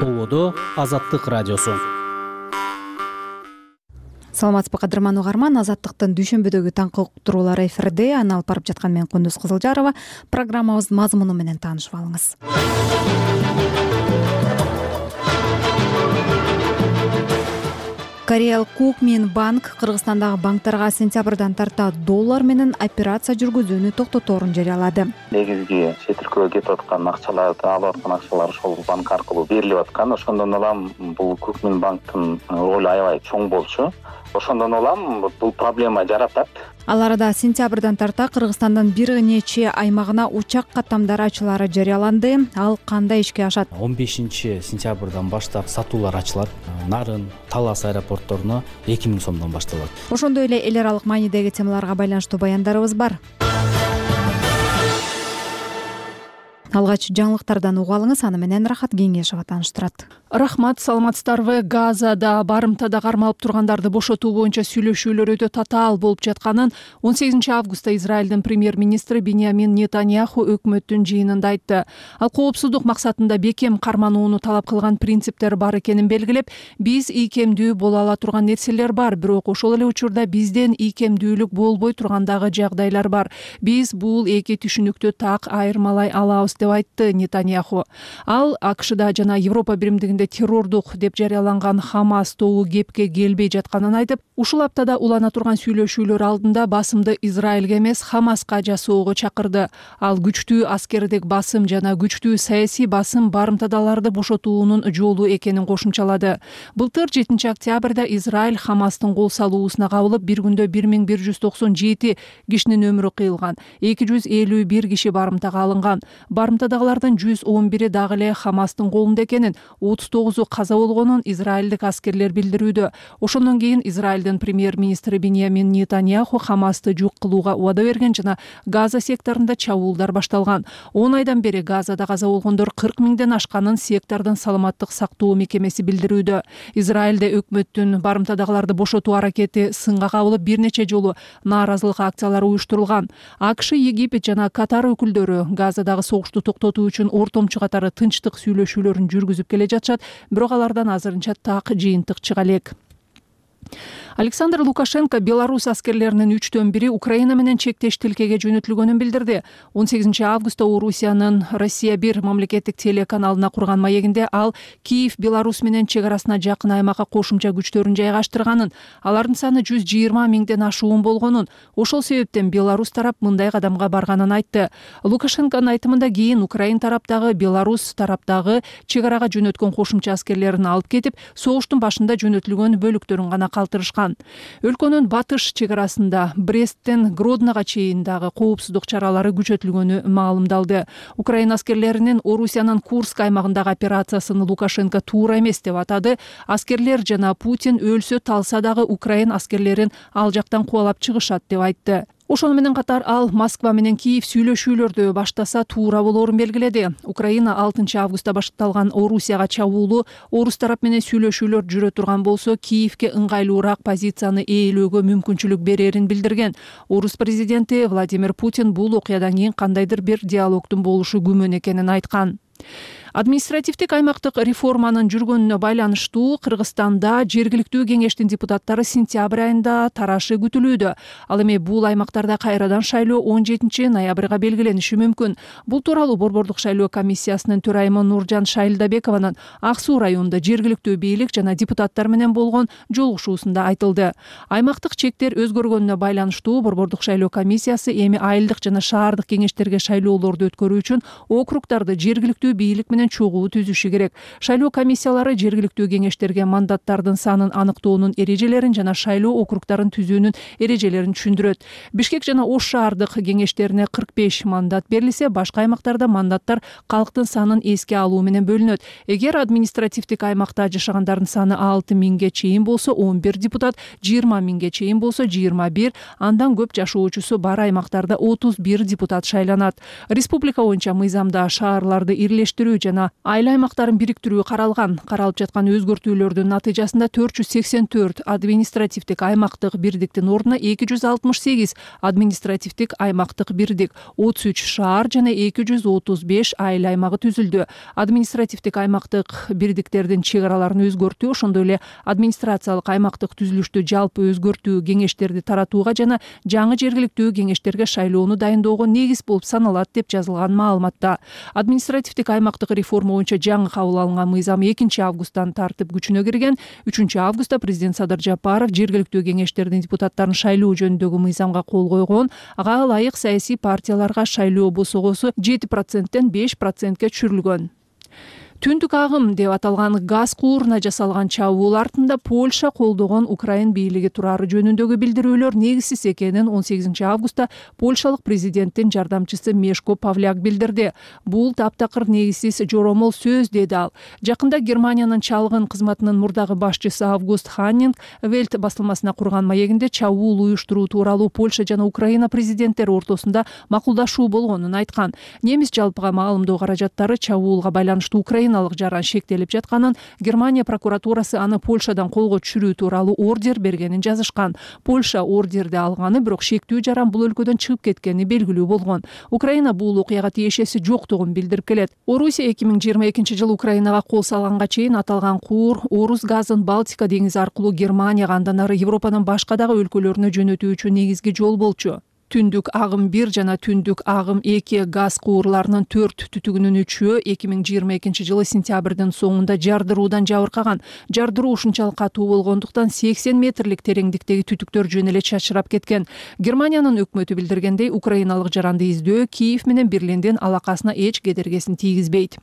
Ободо Азаттык радиосу. Саламатсызбы кадырман угарман, Азаттыктын дүйшөмбүдөгү таңкы уктуруулары эфирде. Аны алып барып жаткан мен Кундуз Кызылжарова. Программабыздын мазмуну менен таанышып алыңыз. Кореялык Кукмин банк Кыргызстандагы банктарга сентябрдан тарта доллар менен операция жүргүзүүнү токтоторун жарыялады. Негизги чет өлкөгө кетип аткан акчаларды, алып аткан акчалар ошол банк аркылуу берилип аткан. Ошондон улам бул Кукмин банктын ролу аябай чоң болчу. Ошондон улам бул проблема жаратат. Ал арада сентябрдан тарта Кыргызстандын бир нече аймагына учак каттамдары ачылары жарыяланды. Ал кандай ишке ашат? 15 сентябрдан баштап сатуулар ачылат. Нарын, Талас аэропортторуна 2000 сомдон башталат. Ошондой эле эл аралык маанидеги темаларга байланыштуу баяндарыбыз бар. Алгач жаңылыктардан угуп алыңыз, аны менен Рахат Кеңешова тааныштырат. Рахмат, саламатсыздарбы? Газада барымтада кармалып тургандарды бошотуу боюнча сүйлөшүүлөр өтө татаал болуп жатканын 18 августта Израилдин премьер-министри Биньямин Нетаньяху өкмөттүн жыйынында айтты. Ал коопсуздук максатында бекем карманууну талап кылган принциптер бар экенин белгилеп, биз ийкемдүү боло ала турган нерселер бар, бирок ошол эле учурда бизден ийкемдүүлүк болбой тургандагы жагдайлар бар. Биз бул эки түшүнүктү так айырмалай алабыз деп айтты Нетаньяху. Ал АКШда жана Европа биримдигинде террордук деп жарыяланган Хамас тобу кепке келбей жатканын айтып, ушул аптада улана турган сүйлөшүүлөр алдында басымды Израилге эмес Хамаска жасоого чакырды. Ал күчтүү аскердик басым жана күчтүү саясий басым барымтадаларды бошотуунун жолу экенин кошумчалады. Былтыр 7 октябрда Израиль Хамастын кол салуусуна кабылып, бир күндө 1197 кишинин өмүрү кыйылган, 251 киши барымтага алынган. Барымтадагылардын 111 дагы эле Хамастын колунда экенин, 39 каза болгонун израилдик аскерлер билдирүүдө. Ошондон кийин Израилдин премьер-министри Биньямин Нетаньяху Хамасты жок кылууга убада берген жана Газа секторунда чабуулдар башталган. 10 айдан бери Газада каза болгондор 40 миңден ашканын сектордун саламаттык сактоо мекемеси билдирүүдө. Израилде өкмөттүн барымтадагыларды бошотуу аракети сынга кабылып, бир нече жолу нааразылык акциялары уюштурулган. АКШ, Египет жана Катар өкүлдөрү Газадагы согушту токтотуу үчүн ортомчу катары тынчтык сүйлөшүүлөрүн жүргүзүп келе жатышат, бирок алардан азырынча так жыйынтык чыга элек. Александр Лукашенко Беларусь аскерлеринин 3/1 Украина менен чектеш тилкеге жөнөтүлгөнүн билдирди. 18 августта Орусиянын Россия 1 мамлекеттик телеканалына курган маегинде ал Киев Беларусь менен чек арасына жакын аймакка кошумча күчтөрүн жайгаштырганын, алардын саны 120 миңден ашуун болгонун, ошол себептен Беларусь тарап мындай кадамга барганын айтты. Лукашенконун айтымында кийин Украин тараптагы Беларусь тараптагы чек арага жөнөткөн кошумча аскерлерин алып кетип, согуштун башында жөнөтүлгөн бөлүктөрүн гана калтырышкан. Өлкөнүн батыш чек арасында Бресттен Гроднога чейин дагы коопсуздук чаралары күчөтүлгөнү маалымдалды. Украина аскерлеринин Орусиянын Курск аймагындагы операциясын Лукашенко туура эмес деп атады. Аскерлер жана Путин өлсө талса дагы Украин аскерлерин ал жактан кубалап чыгышат деп айтты. Ошону менен катар ал Москва менен Киев сүйлөшүүлөрдү баштаса туура болоорун белгиледи. Украина 6 августта башталган Орусияга чабуулу орус тарап менен сүйлөшүүлөр жүрө турган болсо, Киевке ыңгайлуураак позицияны ээлөөгө мүмкүнчүлүк берерин билдирген. Орус президенти Владимир Путин бул окуядан кийин кандайдыр бир диалогдун болушу күмөн экенин айткан. Административдик аймактык реформанын жүргөнүнө байланыштуу Кыргызстанда жергиликтүү кеңештин депутаттары сентябрь айында тарашы күтүлүүдө. Ал эми бул аймактарда кайрадан шайлоо 17 ноябрга белгилениши мүмкүн. Бул тууралуу Борбордук шайлоо комиссиясынын төрайымы Нуржан Шайлдабекованын Ак Суу районунда жергиликтүү бийлик жана депутаттар менен болгон жолугушуусунда айтылды. Аймактык чектер өзгөргөнүнө байланыштуу Борбордук шайлоо комиссиясы эми айылдык жана шаардык кеңештерге шайлоолорду өткөрүү үчүн округдарды жергиликтүү бийлик менен чогуу түзүшү керек. Шайлоо комиссиялары жергиликтүү кеңештерге мандаттардын санын аныктоонун эрежелерин жана шайлоо округдарын түзүүнүн эрежелерин түшүндүрөт. Бишкек жана Ош шаардык кеңештерине 45 мандат берилсе, башка аймактарда мандаттар калктын санын эске алуу менен бөлүнөт. Эгер административдик аймакта жашагандардын саны 6 миңге чейин болсо 11 депутат, 20 миңге чейин болсо 21, андан көп жашоочусу бар аймактарда 31 депутат шайланат. Республика боюнча мыйзамда шаарларды ирлештирүү жана айыл аймактарын бириктирүү каралган. Каралып жаткан өзгөртүүлөрдүн натыйжасында 484 административдик аймактык бирдиктин ордуна 268 административдик аймактык бирдик, 33 шаар жана 235 айыл аймагы түзүлдү. Административдик аймактык бирдиктердин чек араларын өзгөртүү, ошондой эле администрациялык аймактык түзүлүштү жалпы өзгөртүү, кеңештерди таратууга жана жаңы жергиликтүү кеңештерге шайлоону дайындоого негиз болуп саналат деп жазылган маалыматта. Административдик аймактык реформа боюнча жаңы кабыл алынган мыйзам 2 августтан тартып күчүнө кирген. 3 августта президент Садыр Жапаров жергиликтүү кеңештердин депутаттарын шайлоо жөнүндөгү мыйзамга кол койгон. Ага ылайык саясий партияларга шайлоо босогосу 7%тен 5%ке түшүрүлгөн. Түндүк агым деп аталган газ кууруна жасалган чабуул артында Польша колдогон Украин бийлиги турары жөнүндөгү билдирүүлөр негизсиз экенин 18 августта польшалык президенттин жардамчысы Мешко Павляк билдирди. Бул таптакыр негизсиз жоромол сөз, деди ал. Жакында Германиянын чалгын кызматынын мурдагы башчысы Август Ханнинг Велт басылмасына курган маегинде чабуул уюштуруу тууралуу Польша жана Украина президенттери ортосунда макулдашуу болгонун айткан. Немис жалпыга маалымдоо каражаттары чабуулга байланыштуу Украиналык жаран шектелип жатканын, Германия прокуратурасы аны Польшадан колго түшүрүү тууралуу ордер бергенин жазышкан. Польша ордерди алганы, бирок шектүү жаран бул өлкөдөн чыгып кеткени белгилүү болгон. Украина бул окуяга тиешеси жоктугун билдирип келет. Орусия 2022-жылы Украинага кол салганга чейин аталган куур Орус газын Балтика деңизи аркылуу Германияга, андан ары Европанын башка дагы өлкөлөрүнө жөнөтүү үчүн негизги жол болчу. Түндүк агым 1 жана түндүк агым 2 газ куурларынын 4 түтүгүнүн 3-өө 2022-жылы сентябрдын соңунда жардыруудан жабыркаган. Жардыруу ушунчалык катуу болгондуктан 80 метрлик тереңдиктеги түтүктөр жөн эле чачырап кеткен. Германиянын өкмөтү билдиргендей, украиналык жаранды издөө Киев менен Берлиндин алакасына эч кедергесин тийгизбейт.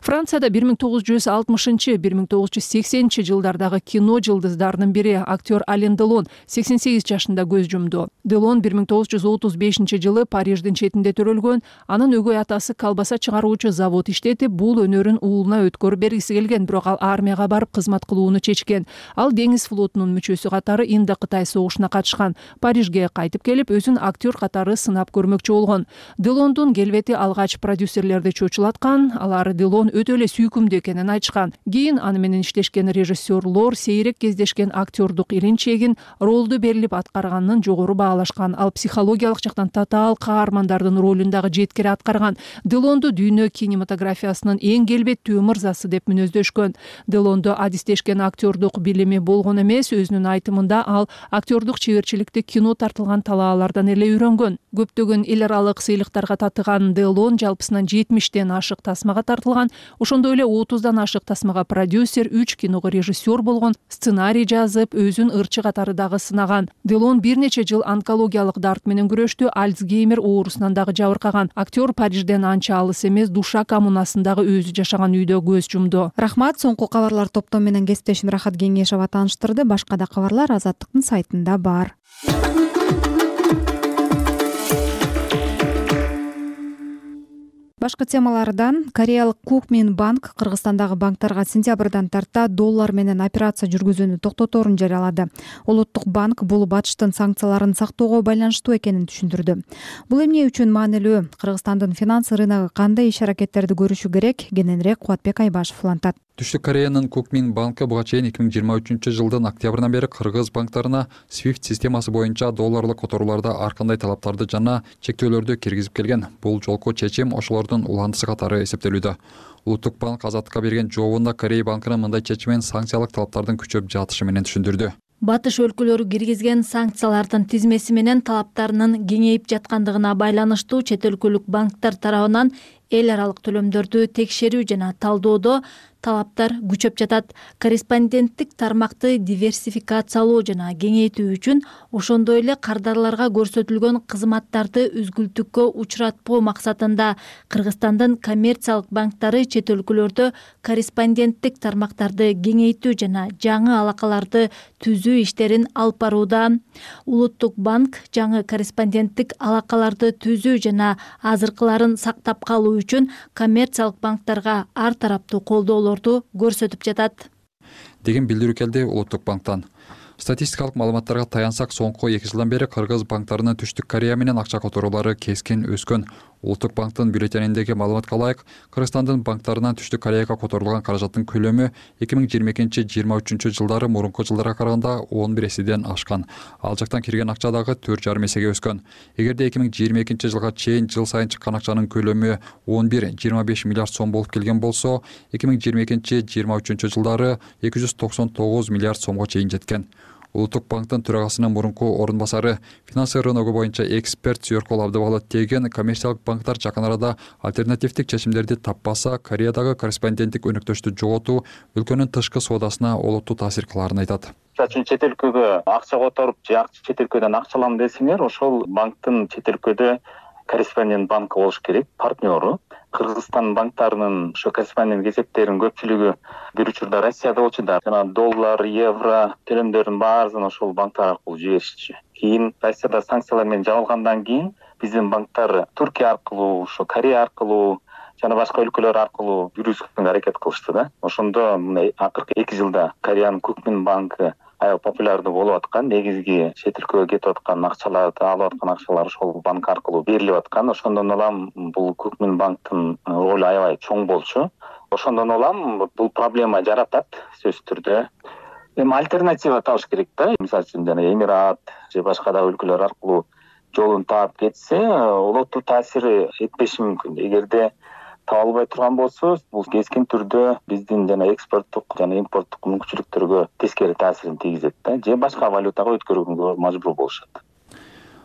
Францияда 1960-1980 жылдардагы кино жылдыздарынын бири актер Ален Делон 88 жашында көз жумду. Делон 1935 Париждин четинде төрөлгөн. Анын өгөй атасы колбаса чыгаруучу завод иштетип, бул өнөрүн уулуна өткөрүп бергиси келген, бирок ал армияга барып кызмат кылууну чечкен. Ал деңиз флотунун мүчөсү катары Индокытай согушуна катышкан. Парижге кайтып келип, өзүн актер катары сынап көрмөкчү болгон. Делондун келбети алгач продюсерлерди чочулаткан. Алар Делон өтө эле сүйкүмдүү экенин айтышкан. Кийин аны менен иштешкен режиссерлор сейрек кездешкен актердук илин-чегин, ролду берилип аткарганын жогору баалашкан. Ал психологиялык жактан татаал каармандардын ролун дагы жеткире аткарган. Делонду дүйнө кинематографиясынын эң келбеттүү мырзасы деп мүнөздөшкөн. Делонду адистешкен актердук билими болгон эмес, өзүнүн айтымында ал актердук чеберчиликти кино тартылган талаалардан эле үйрөнгөн. Көптөгөн эл аралык сыйлыктарга татыган Делон жалпысынан 70тен ашык тасмага тартылган. Ошондой эле 30дан ашык тасмага продюсер, 3 киного режиссер болгон, сценарий жазып, өзүн ырчы катары дагы сынаган. Делон бир нече жыл онкологиялык дарт менен күрөштү, Альцгеймер оорусунан дагы жабыркаган. Актер Парижден анча алыс эмес Душа коммунасындагы өзү жашаган үйдө көз жумду. Рахмат. Соңку кабарлар топтом менен кесиптешим Рахат Кеңешова тааныштырды. Башка да кабарлар Азаттыктын сайтында бар. Башка темалардан Кореялык Кукмин банк Кыргызстандагы банктарга сентябрдан тарта доллар менен операция жүргүзүүнү токтоторун жарыялады. Улуттук банк бул батыштын санкцияларын сактоого байланыштуу экенин түшүндүрдү. Бул эмне үчүн маанилүү? Кыргызстандын финанс рыногу кандай иш-аракеттерди көрүшү керек? Кененирээк Кубатбек Айбашев улантат. Түштүк Кореянын Кукмин банкы буга чейин 2023-жылдын октябрынан бери кыргыз банктарына SWIFT системасы боюнча долларлык которууларда ар кандай талаптарды жана чектөөлөрдү киргизип келген. Бул жолку чечим ошолордун уландысы катары эсептелүүдө. Улуттук банк Азаттыкка берген жообунда Корея банкынын мындай чечимен санкциялык талаптардын күчөп жатышы менен түшүндүрдү. Батыш өлкөлөрү киргизген санкциялардын тизмеси менен талаптарынын кеңейип жаткандыгына байланыштуу чет өлкөлүк банктар тарабынан эл аралык төлөмдөрдү текшерүү жана талдоодо талаптар күчөп жатат. Корреспонденттик тармакты диверсификациялоо жана кеңейтүү үчүн, ошондой эле кардарларга көрсөтүлгөн кызматтарды үзгүлтүккө учуратпоо максатында Кыргызстандын коммерциялык банктары чет өлкөлөрдө корреспонденттик тармактарды кеңейтүү жана жаңы алакаларды түзүү иштерин алып барууда. Улуттук банк жаңы корреспонденттик алакаларды түзүү жана азыркыларын сактап калуу үчүн коммерциялык банктарга ар тараптуу колдоолорду көрсөтүп жатат деген билдирүү келди Улуттук банктан. Статистикалык маалыматтарга таянсак, соңку 2 жылдан бери кыргыз банктарынын Түштүк Корея менен акча которуулары кескин өскөн. Улуттук банктын бюллетениндеги маалыматка ылайык, Кыргызстандын банктарынан Түштүк Кореяга которулган каражаттын көлөмү 2022-23 жылдары мурунку жылдарга караганда 11 эседен ашкан. Ал жактан кирген акча дагы 4,5 эсеге өскөн. Эгерде 2022 жылга чейин жыл сайын чыккан акчанын көлөмү 11-25 миллиард сом болуп келген болсо, 2022-23 жылдары 299 миллиард сомго чейин жеткен. Улуттук банктын төрагасынын мурунку орун басары, финансы рыногу боюнча эксперт Сүйөркол Абдыбалы Теген коммерциялык банктар жакын арада альтернативдик чечимдерди таппаса, Кореядагы корреспонденттик өнөктөштү жоготуу өлкөнүн тышкы соодасына олуттуу таасир кылаарын айтат. Чет өлкөгө акча которуп же чет өлкөдөн акча алам десеңер, ошол банктын чет өлкөдө корреспондент банкы болуш керек, партнеру. Кыргызстан банктарынын ошо корреспондент эсептеринин көпчүлүгү бир учурда Россияда болчу да. Жана доллар, евро төлөмдөрдүн баарын ошол банктар аркылуу жиберишчү. Кийин Россияда санкциялар менен жабылгандан кийин биздин банктар Түркия аркылуу, ошо Корея аркылуу жана башка өлкөлөр аркылуу жүргүзгөнгө аракет кылышты да. Ошондо акыркы 2 жылда Кореянын Кукмин банкы аябай популярдуу болуп аткан, негизги чет өлкөгө кетип аткан акчаларды алып аткан акчалар ошол банк аркылуу берилип аткан. Ошондон улам бул Кукмин банктын ролу аябай чоң болчу. Ошондон улам бул проблема жаратат сөзсүз түрдө. Эми альтернатива табыш керек да. Мисалы үчүн жана Эмират же башка да өлкөлөр аркылуу жолун таап кетсе, олуттуу таасири этпеши мүмкүн. Эгерде таба албай турган болсо, бул кескин түрдө биздин жана экспорттук жана импорттук мүмкүнчүлүктөргө тескери таасирин тийгизет да, же башка валютага өткөрүүгө мажбур болушат.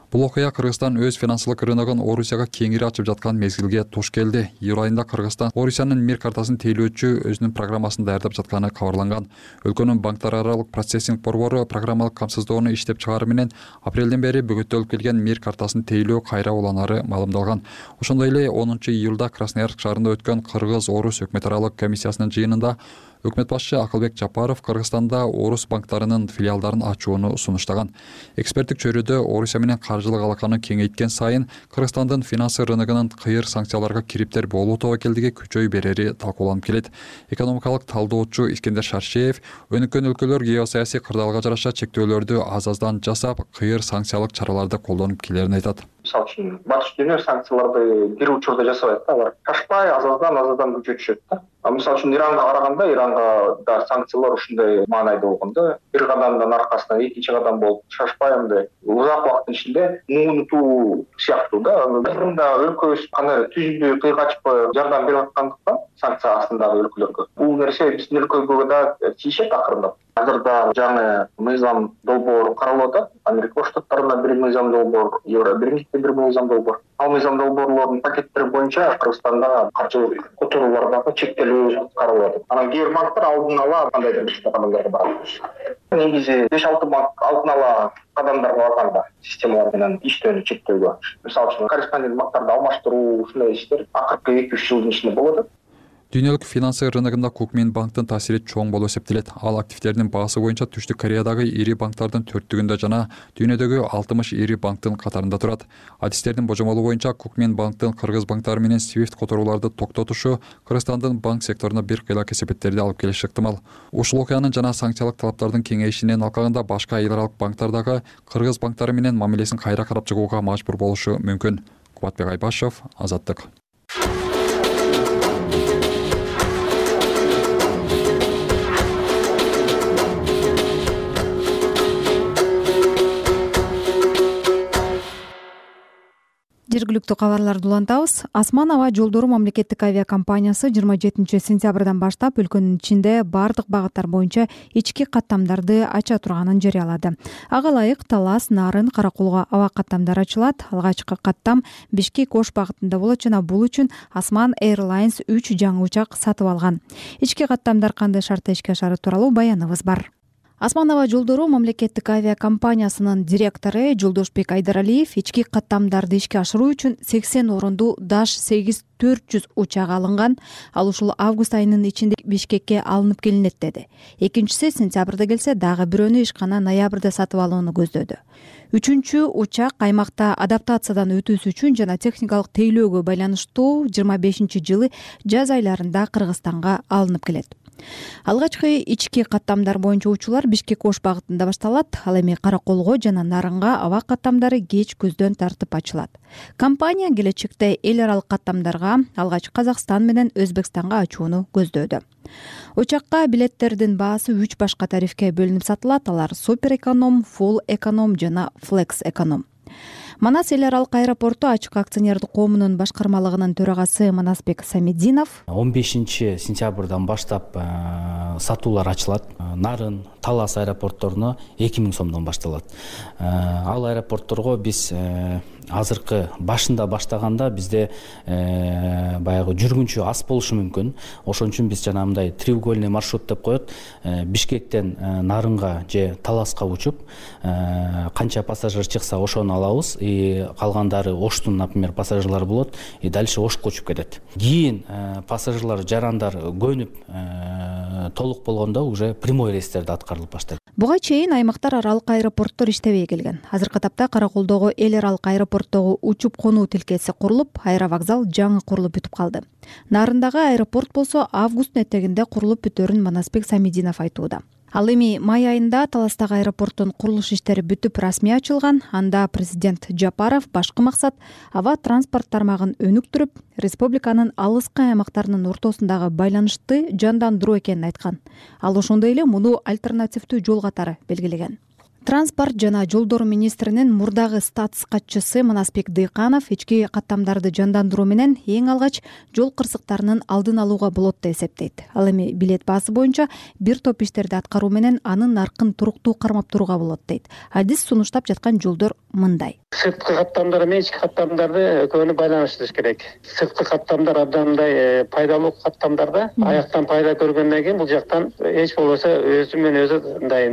Бул окуя Кыргызстан өз финансылык рыногун Орусияга кеңири ачып жаткан мезгилге туш келди. Июль айында Кыргызстан Орусиянын мир картасын тейлөөчү өзүнүн программасын даярдап жатканы кабарланган. Өлкөнүн банктар аралык процессинг борбору программалык камсыздоону иштеп чыгаруу менен апрелден бери бөгөттөлүп келген мир картасын тейлөө кайра уланары маалымдалган. Ошондой эле 10 июлда Красноярск шаарында өткөн Кыргыз-Орус өкмөт аралык комиссиясынын жыйынында өкмөт башчы Акылбек Жапаров Кыргызстанда Орус банктарынын филиалдарын ачууну сунуштаган. Эксперттик чөйрөдө Орусия менен каржылык алаканы кеңейткен сайын Кыргызстандын финансы рыногунун кыйыр санкцияларга кириптер болуу тобокелдиги күчөй берери талкууланып келет. Экономикалык талдоочу Искендер Шаршеев өнүккөн өлкөлөр геосаясий кырдаалга жараша чектөөлөрдү аз-аздан жасап, кыйыр санкциялык чараларды колдонуп келерин айтат. Мисалы үчүн батыш дүйнө санкцияларды бир учурда жасабайт да, алар ташпай аз-аздан күчөтүшөт да. Мисалы үчүн Иранга караганда, Иранга да санкциялар ушундай маанайда болгон да. Бир кадамдын аркасынан экинчи кадам болуп шашпай андай узак убакыттын ичинде унутуу сыяктуу да. Мында өлкөбүз кандай түздүү кыйга ачпай жардам берип аткандыктан санкция астындагы өлкөлөргө бул нерсе биздин өлкөгө да тийишет акырындап. Азырда жаңы мыйзам долбоор каралып атат. Америка Кош Штаттарында бир мыйзам долбоор, Евробиримдикте бир мыйзам долбоор. Ал мыйзам долбоорлордун пакеттери боюнча Кыргызстанда каржылык которуулардагы чектелүү каралып атат. Анан кээ бир банктар алдын ала кандайдыр бир кадамдарга барат. Негизи 5-6 банк алдын ала кадамдарга барганда системалар менен иштөөнү чектөөгө. Мисалы үчүн корреспондент банктарды алмаштыруу ушундай иштер акыркы 2-3 жылдын ичинде болот. Дүйнөлүк финансы рыногунда Кукмин банктын таасири чоң болуп эсептелет. Ал активдердин баасы боюнча Түштүк Кореядагы ири банктардын 4-түгүндө жана дүйнөдөгү 60 ири банктын катарында турат. Адистердин божомолу боюнча Кукмин банктын кыргыз банктары менен SWIFT которууларды токтотушу Кыргызстандын банк секторуна бир кыйла кесепеттерди алып келиши ыктымал. Ушул окуянын жана санкциялык талаптардын кеңейишинен алкагында башка эл аралык банктар дагы кыргыз банктары менен мамилесин кайра карап чыгууга мажбур болушу мүмкүн. Кубатбек Айбашев, Азаттык. Жергиликтүү кабарларды улантабыз. Асман аба жолдору мамлекеттик авиакомпаниясы 27 сентябрдан баштап өлкөнүн ичинде бардык багыттар боюнча ички каттамдарды ача турганын жарыялады. Ага ылайык Талас, Нарын, Каракулга аба каттамдары ачылат. Алгачкы каттам Бишкек-Ош багытында болот жана бул үчүн Асман Airlines 3 жаңы учак сатып алган. Ички каттамдар кандай шартта ишке ашары тууралуу баяныбыз бар. Асман аба жолдору мамлекеттик авиакомпаниясынын директору Жолдошбек Айдаралиев ички каттамдарды ишке ашыруу үчүн 80 орундуу Dash 8-400 учак алынган. Ал ушул август айынын ичинде Бишкекке алынып келинет деди. Экинчиси сентябрда келсе, дагы бирөөнү ишкана ноябрда сатып алууну көздөдү. Үчүнчү учак аймакта адаптациядан өтүүсү үчүн жана техникалык тейлөөгө байланыштуу 25-жылы жаз айларында Кыргызстанга алынып келет. Алгачкы ички каттамдар боюнча учуулар Бишкек Ош багытында башталат. Ал эми Караколго жана Нарынга аба каттамдары кеч көздөн тартып ачылат. Компания келечекте эл аралык каттамдарга алгач Казакстан менен Өзбекстанга ачууну көздөөдө. Учакка билеттердин баасы 3 башка тарифке бөлүнүп сатылат. Алар супер эконом, full эконом жана flex эконом. Манас эл аралык аэропорту ачык акционердик коомунун башкармалыгынын төрагасы Манасбек Самединов 15 сентябрдан баштап сатуулар ачылат. Нарын, Талас аэропортторуна 2000 сомдон башталат. Ал аэропортторго биз азыркы башында баштаганда бизде баягы жүргүнчү аз болушу мүмкүн. Ошон үчүн биз жанагындай треугольный маршрут деп коет. Бишкектен Нарынга же Таласка учуп, канча пассажир чыкса ошону алабыз. Калгандары Оштун, например, пассажирлары болот. Дальше Ошко учуп кетет. Кийин пассажирлар, жарандар көнүп толук болгондо уже прямой рейстерди аткарылып баштайт. Буга чейин аймактар аралык аэропорттор иштебей келген. Азыркы тапта Караколдогу эл аралык аэропорттогу учуп конуу тилкеси курулуп, аэровокзал жаңы курулуп бүтүп калды. Нарындагы аэропорт болсо августтун этегинде курулуп бүтөөрүн Манасбек Самединов айтууда. Ал эми май айында Таластагы аэропорттун курулуш иштери бүтүп расмий ачылган. Анда президент Жапаров башкы максат аба транспорт тармагын өнүктүрүп, республиканын алыскы аймактарынын ортосундагы байланышты жандандыруу экенин айткан. Ал ошондой эле муну альтернативдүү жол катары белгилеген. Транспорт жана жолдор министринин мурдагы статс катчысы Манасбек Дыйканов ички каттамдарды жандандыруу менен эң алгач жол кырсыктарынын алдын алууга болот деп эсептейт. Ал эми билет баасы боюнча бир топ иштерди аткаруу менен анын наркын туруктуу кармап турууга болот дейт. Адис сунуштап жаткан жолдор мындай. Сырткы каттамдар менен ички каттамдарды экөөнү байланыштырыш керек. Сырткы каттамдар абдан пайдалуу каттамдарда аяктан пайда көргөндөн кийин бул жактан эч болбосо өзү менен өзү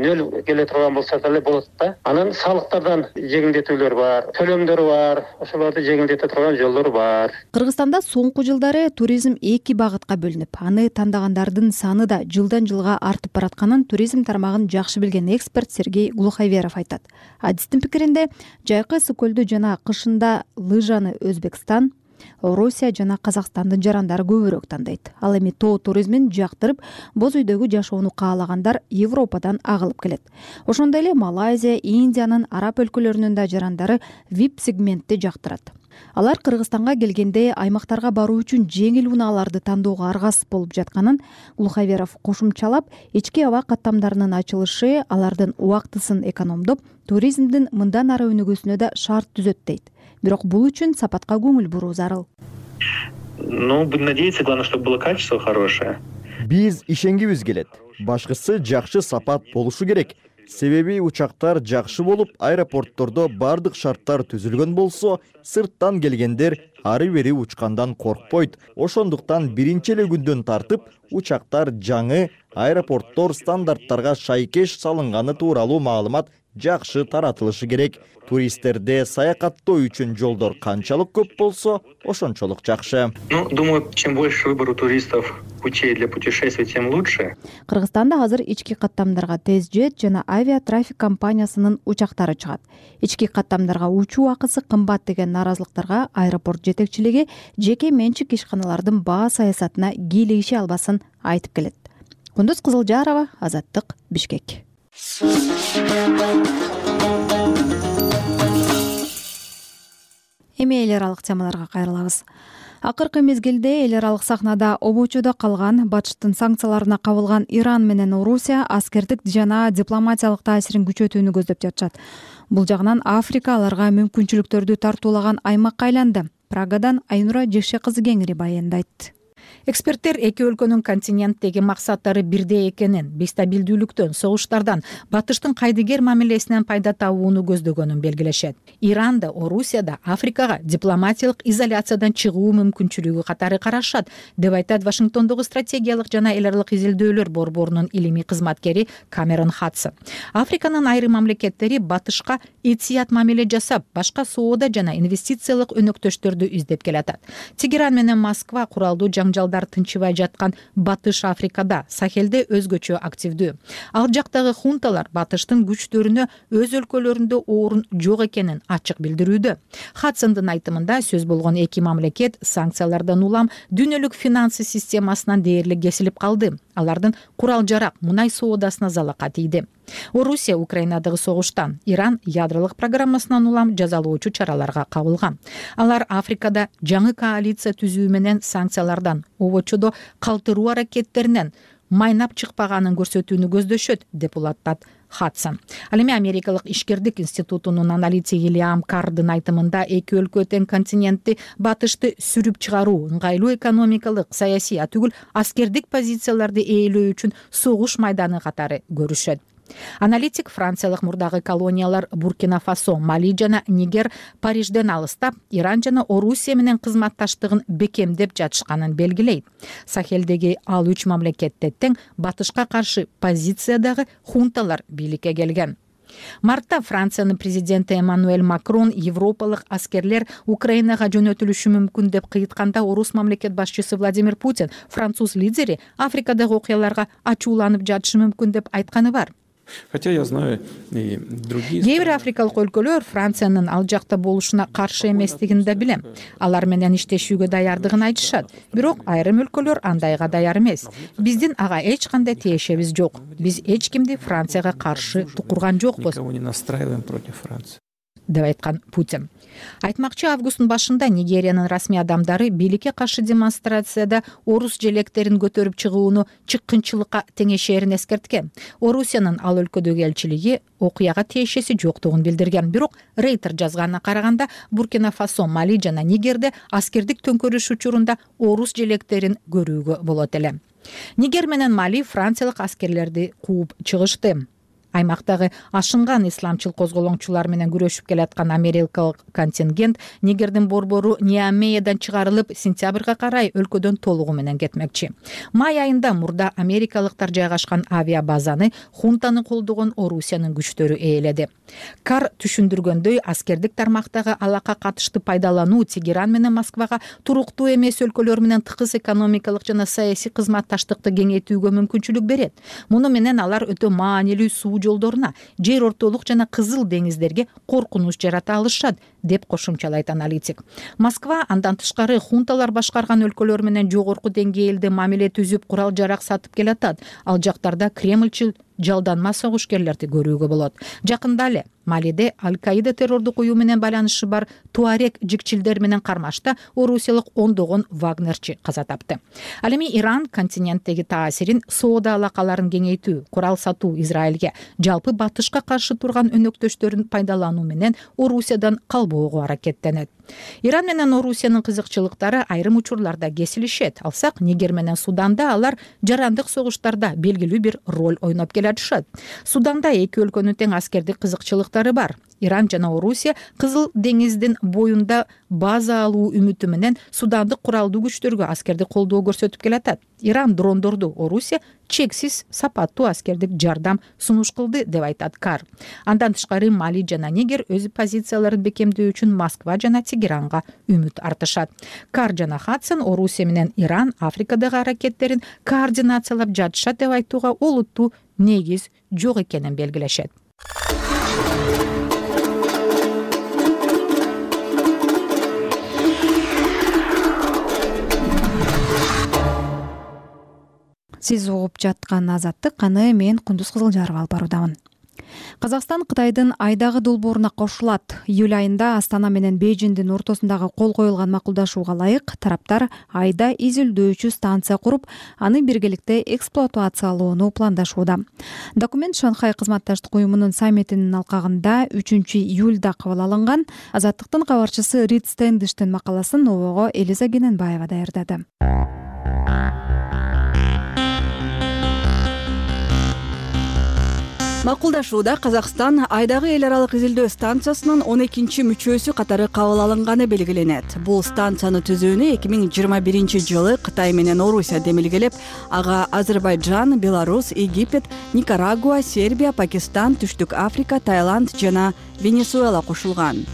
нөл келе турган болсо деле болот да. Анан салыктардан жеңилдетүүлөр бар, төлөмдөр бар, ошолорду жеңилдете турган жолдор бар. Кыргызстанда соңку жылдары туризм эки багытка бөлүнүп, аны тандагандардын саны да жылдан жылга артып баратканын туризм тармагын жакшы билген эксперт Сергей Глуховеров айтат. Адистин пикиринде, жайкы ысык көлдү жана кышында лыжаны Өзбекстан, Орусия жана Казакстандын жарандары көбүрөөк тандайт. Ал эми тоо туризмин жактырып, боз үйдөгү жашоону каалагандар Европадан агылып келет. Ошондой эле Малайзия, Индиянын араб өлкөлөрүнүн да жарандары VIP сегментти жактырат. Алар Кыргызстанга келгенде аймактарга баруу үчүн жеңил унааларды тандоого аргасыз болуп жатканын Глуховеров кошумчалап, ички аба каттамдарынын ачылышы алардын убактысын экономдоп, туризмдин мындан ары өнүгүүсүнө да шарт түзөт дейт. Бирок бул үчүн сапатка көңүл буруу зарыл. Будем надеяться, главное, чтобы было качество хорошее. Биз ишенгибиз келет. Башкысы жакшы сапат болушу керек. Себеби учактар жакшы болуп, аэропорттордо бардык шарттар түзүлгөн болсо, сырттан келгендер ары бери учкандан коркпойт. Ошондуктан биринчи эле күндөн тартып, учактар жаңы аэропорттор стандарттарга шайкеш салынганы тууралуу маалымат жакшы таратылышы керек. Туристтерде саякаттоо үчүн жолдор канчалык көп болсо, ошончолук жакшы. Думаю, чем больше выбор у туристов путей для путешествий, тем лучше. Кыргызстанда азыр ички каттамдарга TezJet жана авиатрафик компаниясынын учактары чыгат. Ички каттамдарга учуу акысы кымбат деген наразылыктарга аэропорт жетекчилиги жеке менчик ишканалардын баа саясатына кийлигише албасын айтып келет. Кундуз Кызылжарова, Азаттык, Бишкек. Эми эл аралык темаларга кайрылабыз. Акыркы мезгилде эл аралык сахнада обочодо калган, Батыштын санкцияларына кабылган Иран менен Орусия аскердик жана дипломатиялык таасирин күчөтүүнү көздөп жатышат. Бул жагынан Африка аларга мүмкүнчүлүктөрдү тартуулаган аймакка айланды. Прагадан Айнура Жекше кызы кеңири баяндайт. Эксперттер эки өлкөнүн континенттеги максаттары бирдей экенин, бестабилдүүлүктөн, согуштардан, Батыштын кайдыгер мамилесинен пайда табууну көздөгөнүн белгилешет. Иран да, Орусия да Африкага дипломатиялык изоляциядан чыгуу мүмкүнчүлүгү катары карашат, деп айтат Вашингтондогу стратегиялык жана эл аралык изилдөөлөр борборунун илимий кызматкери Камерон Хадсон. Африканын айрым мамлекеттери Батышка этият мамиле жасап, башка соода жана инвестициялык өнөктөштөрдү издеп келатат. Тегеран менен Москва куралдуу жаңжалдар тынчыбай жаткан Батыш Африкада, Сахелде өзгөчө активдүү. Ал жактагы хунталар Батыштын күчтөрүнө өз өлкөлөрүндө орун жок экенин ачык билдирүүдө. Хадсондун айтымында сөз болгон эки мамлекет санкциялардан улам дүйнөлүк финансы системасынан дээрлик кесилип калды. алардын курал жарак, мунай соодасына залака тийди. Орусия Украинадагы согуштан, Иран ядролук программасынан улам жазалоочу чараларга кабылган. Алар Африкада жаңы коалиция түзүү менен санкциялардан, обочодо калтыруу аракеттеринен майнап чыкпаганын көрсөтүүнү көздөшөт, деп улаттат Хадсон. Ал эми Америкалык ишкердик институтунун аналитиги Лиам Кардын айтымында эки өлкө тең континентти батышты сүрүп чыгаруу, ыңгайлуу экономикалык, саясий, түгүл аскердик позицияларды ээлөө үчүн согуш майданы катары көрүшөт. Аналитик Франциялык мурдагы колониялар Буркина Фасо, Мали жана Нигер Парижден алыстап, Иран жана Орусия менен кызматташтыгын бекемдеп жатышканын белгилейт. Сахелдеги ал 3 мамлекетте тең батышка каршы позициядагы хунталар бийликке келген. Мартта Франциянын президенти Эммануэль Макрон европалык аскерлер Украинага жөнөтүлүшү мүмкүн деп кыйытканда, орус мамлекет башчысы Владимир Путин француз лидери Африкадагы окуяларга ачууланып жатышы мүмкүн деп айтканы бар. Хотя я знаю и другие. Кээ бир африкалык өлкөлөр Франциянын ал жакта болушуна каршы эместигин да билем. Алар менен иштешүүгө даярдыгын айтышат. Бирок айрым өлкөлөр андайга даяр эмес. Биздин ага эч кандай тиешебиз жок. Биз эч кимди Францияга каршы тукурган жокпуз. Никого не настраиваем против Франции, деп айткан Путин. Айтмакчы, августтун башында Нигериянын расмий адамдары бийликке каршы демонстрацияда орус желектерин көтөрүп чыгууну чыккынчылыкка теңешерин эскерткен. Орусиянын ал өлкөдөгү элчилиги окуяга тиешеси жоктугун билдирген. Бирок Рейтер жазганына караганда, Буркина Фасо, Мали жана Нигерде аскердик төңкөрүш учурунда орус желектерин көрүүгө болот эле. Нигер менен Мали франциялык аскерлерди кууп чыгышты. Аймактагы ашынган исламчыл козголоңчулар менен күрөшүп келаткан америкалык контингент Нигердин борбору Ниамейядан чыгарылып, сентябрга карай өлкөдөн толугу менен кетмекчи. Май айында мурда америкалыктар жайгашкан авиабазаны хунтаны колдогон Орусиянын күчтөрү ээледи. Кар түшүндүргөндөй, аскердик тармактагы алака катышты пайдалануу Тегеран менен Москвага туруктуу эмес өлкөлөр менен тыгыз экономикалык жана саясий кызматташтыкты кеңейтүүгө мүмкүнчүлүк берет. Муну менен алар өтө маанилүү суу жолдоруна, жер ортолук жана Кызыл деңиздерге коркунуч жарата алышат, деп кошумчалайт аналитик. Москва андан тышкары хунталар башкарган өлкөлөр менен жогорку деңгээлде мамиле түзүп, курал жарак сатып келатат. Ал жактарда Кремлчил жалданма согушкерлерди көрүүгө болот. Жакында эле Малиде Аль-Каида террордук уюм менен байланышы бар Туарек жикчилдер менен кармашта орусиялык ондогон вагнерчи каза тапты. Ал эми Иран континенттеги таасирин, соода алакаларын кеңейтүү, курал сатуу Израилге, жалпы батышка каршы турган өнөктөштөрүн пайдалануу менен Орусиядан калбоого аракеттенет. Иран менен Орусиянын кызыкчылыктары айрым учурларда кесилишет. Алсак, Нигер менен Суданда алар жарандык согуштарда белгилүү бир роль ойноп келатышат. Суданда эки өлкөнүн тең аскердик кызыкчылыктары бар. Иран жана Орусия Кызыл деңиздин боюнда база алуу үмүтү менен судандык куралдуу күчтөргө аскердик колдоо көрсөтүп келатат. Иран дрондорду, Орусия чексиз сапаттуу аскердик жардам сунуш кылды, деп айтат Кар. Андан тышкары Мали жана Нигер өз позицияларын бекемдөө үчүн Москва жана Тегеранга үмүт артышат. Кар жана Хадсон Орусия менен Иран Африкадагы аракеттерин координациялап жатышат деп айтууга олуттуу негиз жок экенин белгилешет. Сиз угуп жаткан Азаттык, аны мен Кундуз Кызылжарова алып баруудамын. Казакстан Кытайдын айдагы долбооруна кошулат. Июль айында Астана менен Бейжиңдин ортосундагы кол коюлган макулдашууга ылайык тараптар айда изилдөөчү станция куруп, аны биргеликте эксплуатациялоону пландашууда. Документ Шанхай кызматташтык уюмунун саммитинин алкагында 3-июлда кабыл алынган. Азаттыктын кабарчысы Рид Стэндиштин макаласын обого Элиза Кененбаева даярдады. Макулдашууда Казакстан айдагы эл аралык изилдөө станциясынын 12 мүчөсү катары кабыл алынганы белгиленет. Бул станцияны түзүүнү 2021-жылы Кытай менен Орусия демилгелеп, ага Азербайджан, Беларусь, Египет, Никарагуа, Сербия, Пакистан, Түштүк Африка, Таиланд жана Венесуэла кошулган.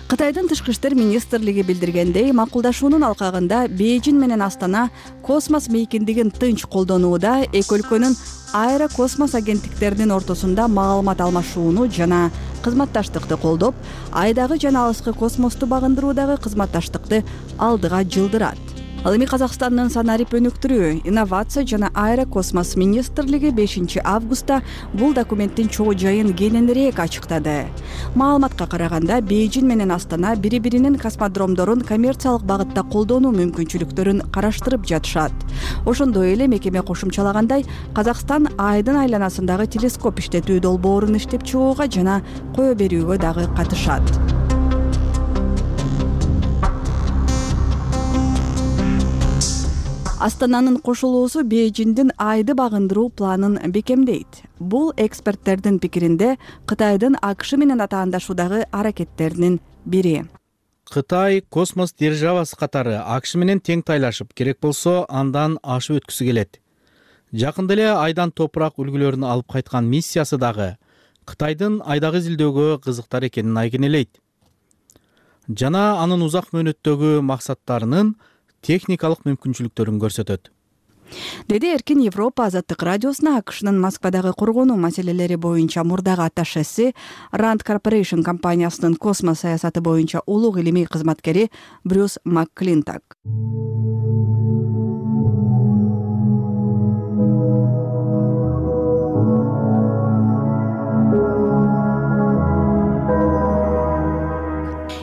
Кытайдын тышкы иштер министрлиги билдиргендей, макулдашуунун алкагында Бейжиң менен Астана космос мейкиндигин тынч колдонууда эки өлкөнүн аэрокосмос агенттиктеринин ортосунда маалымат алмашууну жана кызматташтыкты колдоп, айдагы жана алыскы космосту багындыруудагы кызматташтыкты алдыга жылдырат. Ал эми Казакстандын санарип өнүктүрүү, инновация жана аэрокосмос министрлиги 5 августта бул документтин чогуу жайын кененирээк ачыктады. Маалыматка караганда, Бейжин менен Астана бири-биринин космодромдорун коммерциялык багытта колдонуу мүмкүнчүлүктөрүн караштырып жатышат. Ошондой эле мекеме кошумчалагандай, Казакстан Айдын айланасындагы телескоп иштетүү долбоорун иштеп чыгууга жана кое берүүгө дагы катышат. Астананын кошулуусу Бейжиндин Айды багындыруу планын бекемдейт. Бул эксперттердин пикиринде Кытайдын АКШ менен атаандашуудагы аракеттеринин бири. Кытай космос державасы катары АКШ менен тең тайлашып, керек болсо андан ашып өткүсү келет. Жакында эле Айдан топурак үлгүлөрүн алып кайткан миссиясы дагы Кытайдын Айдагы изилдөөгө кызыктар экенин айгинелейт. Жана анын узак мөөнөттөгү максаттарынын техникалык мүмкүнчүлүктөрүн көрсөтөт. Деди Эркин Европа азаттык радиосуна АКШнын Москвадагы коргонуу маселелери боюнча мурдагы атташеси, Rand Corporation компаниясынын космос саясаты боюнча улуг илимий кызматкери Брюс МакКлинток.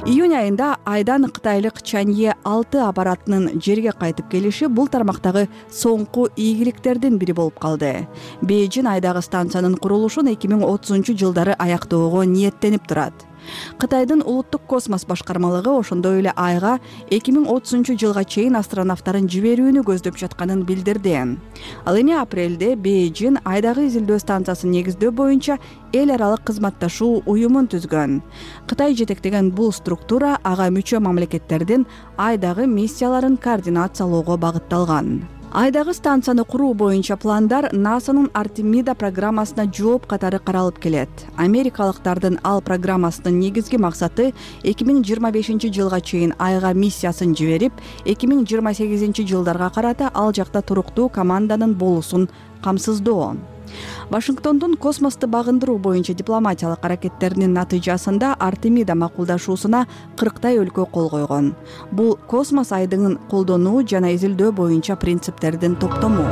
Июнь айында Айдан кытайлык Чанье 6 аппаратынын жерге кайтып келиши бул тармактагы соңку ийгиликтердин бири болуп калды. Бейжин Айдагы станциянын курулушун 2030-жылдары аяктоого ниеттенип турат. Кытайдын улуттук космос башкармалыгы ошондой эле Айга 2030-жылга чейин астронавттарын жиберүүнү көздөп жатканын билдирди. Ал эми апрелде Бейжин Айдагы изилдөө станциясын негиздөө боюнча эл аралык кызматташуу уюмун түзгөн. Кытай жетектеген бул структура ага мүчө мамлекеттердин Айдагы миссияларын координациялоого багытталган. Айдагы станцияны куруу боюнча пландар НАСАнын Артемида программасына жооп катары каралып келет. Америкалыктардын ал программасынын негизги максаты 2025-жылга чейин Айга миссиясын жиберип, 2028-жылдарга карата ал жакта туруктуу команданын болуусун камсыздоо. Вашингтондун космосту багындыруу боюнча дипломатиялык аракеттеринин натыйжасында Артемида макулдашуусуна 40 өлкө кол койгон. Бул космос айдынын колдонуу жана изилдөө боюнча принциптердин топтому.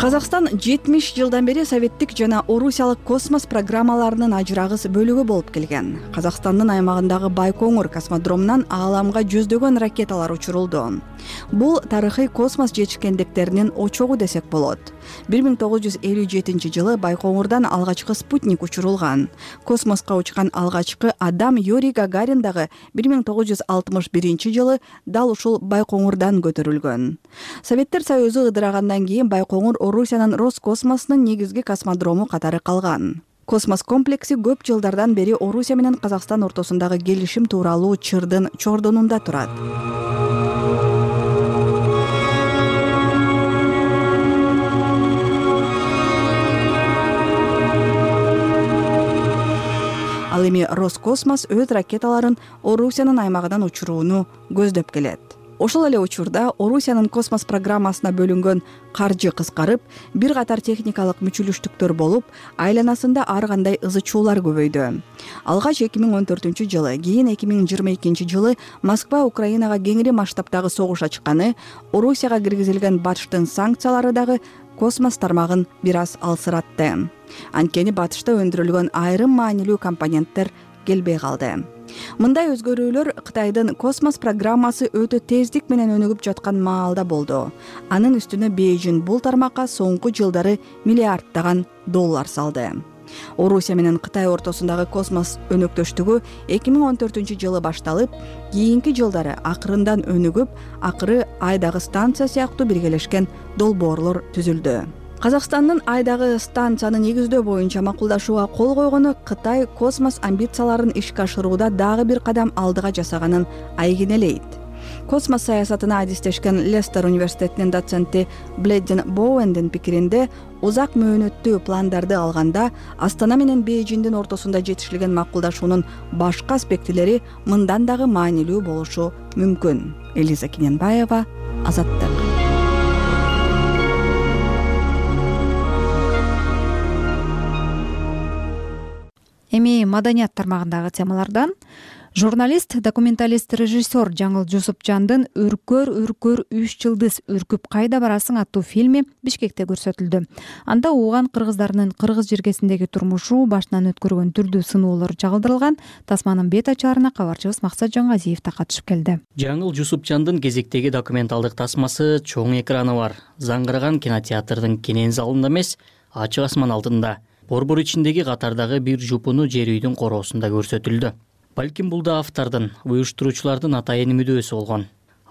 Казакстан 70 жылдан бери советтик жана орусиялык космос программаларынын ажырагыс бөлүгү болуп келген. Казакстандын аймагындагы Байкоңур космодромунан ааламга жүздөгөн ракеталар учурулду. Бул тарыхый космос жетишкендиктеринин очогу десек болот. 1957-жылы Байкоңурдан алгачкы спутник учурулган. Космоска учкан алгачкы адам Юрий Гагарин дагы 1961-жылы дал ушул Байкоңурдан көтөрүлгөн. Советтер Союзу ыдырагандан кийин Байкоңур Орусиянын Роскосмосунун негизги космодрому катары калган. Космос комплекси көп жылдардан бери Орусия менен Казакстан ортосундагы келишим тууралуу чырдын чордонунда турат. Ал эми Роскосмос өз ракеталарын Орусиянын аймагынан учурууну көздөп келет. Ошол эле учурда Орусиянын космос программасына бөлүнгөн каржы кыскарып, бир катар техникалык мүчүлүштүктөр болуп, айланасында ар кандай ызычуулар көбөйдү. Алгач 2014-жылы, кийин 2022-жылы Москва Украинага кеңири масштабтагы согуш ачканы, Орусияга киргизилген Батыштын санкциялары дагы космос тармагын бир аз алсыратты. Анткени Батышта өндүрүлгөн айрым маанилүү компоненттер келбей калды. Мындай өзгөрүүлөр Кытайдын космос программасы өтө тездик менен өнүгүп жаткан маалда болду. Анын үстүнө Бейжин бул тармакка соңку жылдары миллиарддаган доллар салды. Орусия менен Кытай ортосундагы космос өнөктөштүгү 2014-жылы башталып, кийинки жылдары акырындан өнүгүп, акыры Айдагы станция сыяктуу биргелешкен долбоорлор түзүлдү. Казакстандын Айдагы станцияны негиздөө боюнча макулдашууга кол койгону Кытай космос амбицияларын ишке ашырууда дагы бир кадам алдыга жасаганын айгинелейт. космос саясатына адистешкен Лестер университетинин доценти Блейден Боуэндин пикиринде узак мөөнөттүү пландарды алганда Астана менен Бейжиңдин ортосунда жетишилген макулдашуунун башка аспектилери мындан дагы маанилүү болушу мүмкүн. Элиза Кененбаева, Азаттык. Эми маданият тармагындагы темалардан журналист, документалист, режиссер Жаңыл Жусупжандын Үркөр 3 жылдыз үркүп кайда барасың аттуу фильми Бишкекте көрсөтүлдү. Анда ууган кыргыздарынын кыргыз жергесиндеги турмушу, башынан өткөргөн түрдүү сыноолор чагылдырылган. Тасманын бет ачаарына кабарчыбыз Максат Жоңгазиев да катышып келди. Жаңыл Жусупжандын кезектеги документалдык тасмасы чоң экраны бар. Заңгыраган кинотеатрдын кенен залында эмес, ачык асман алдында, борбор ичиндеги катардагы бир жупуну жер үйдүн короосунда көрсөтүлдү. Балким бул да автордун, уюштуруучулардын атайын мүдөөсү болгон.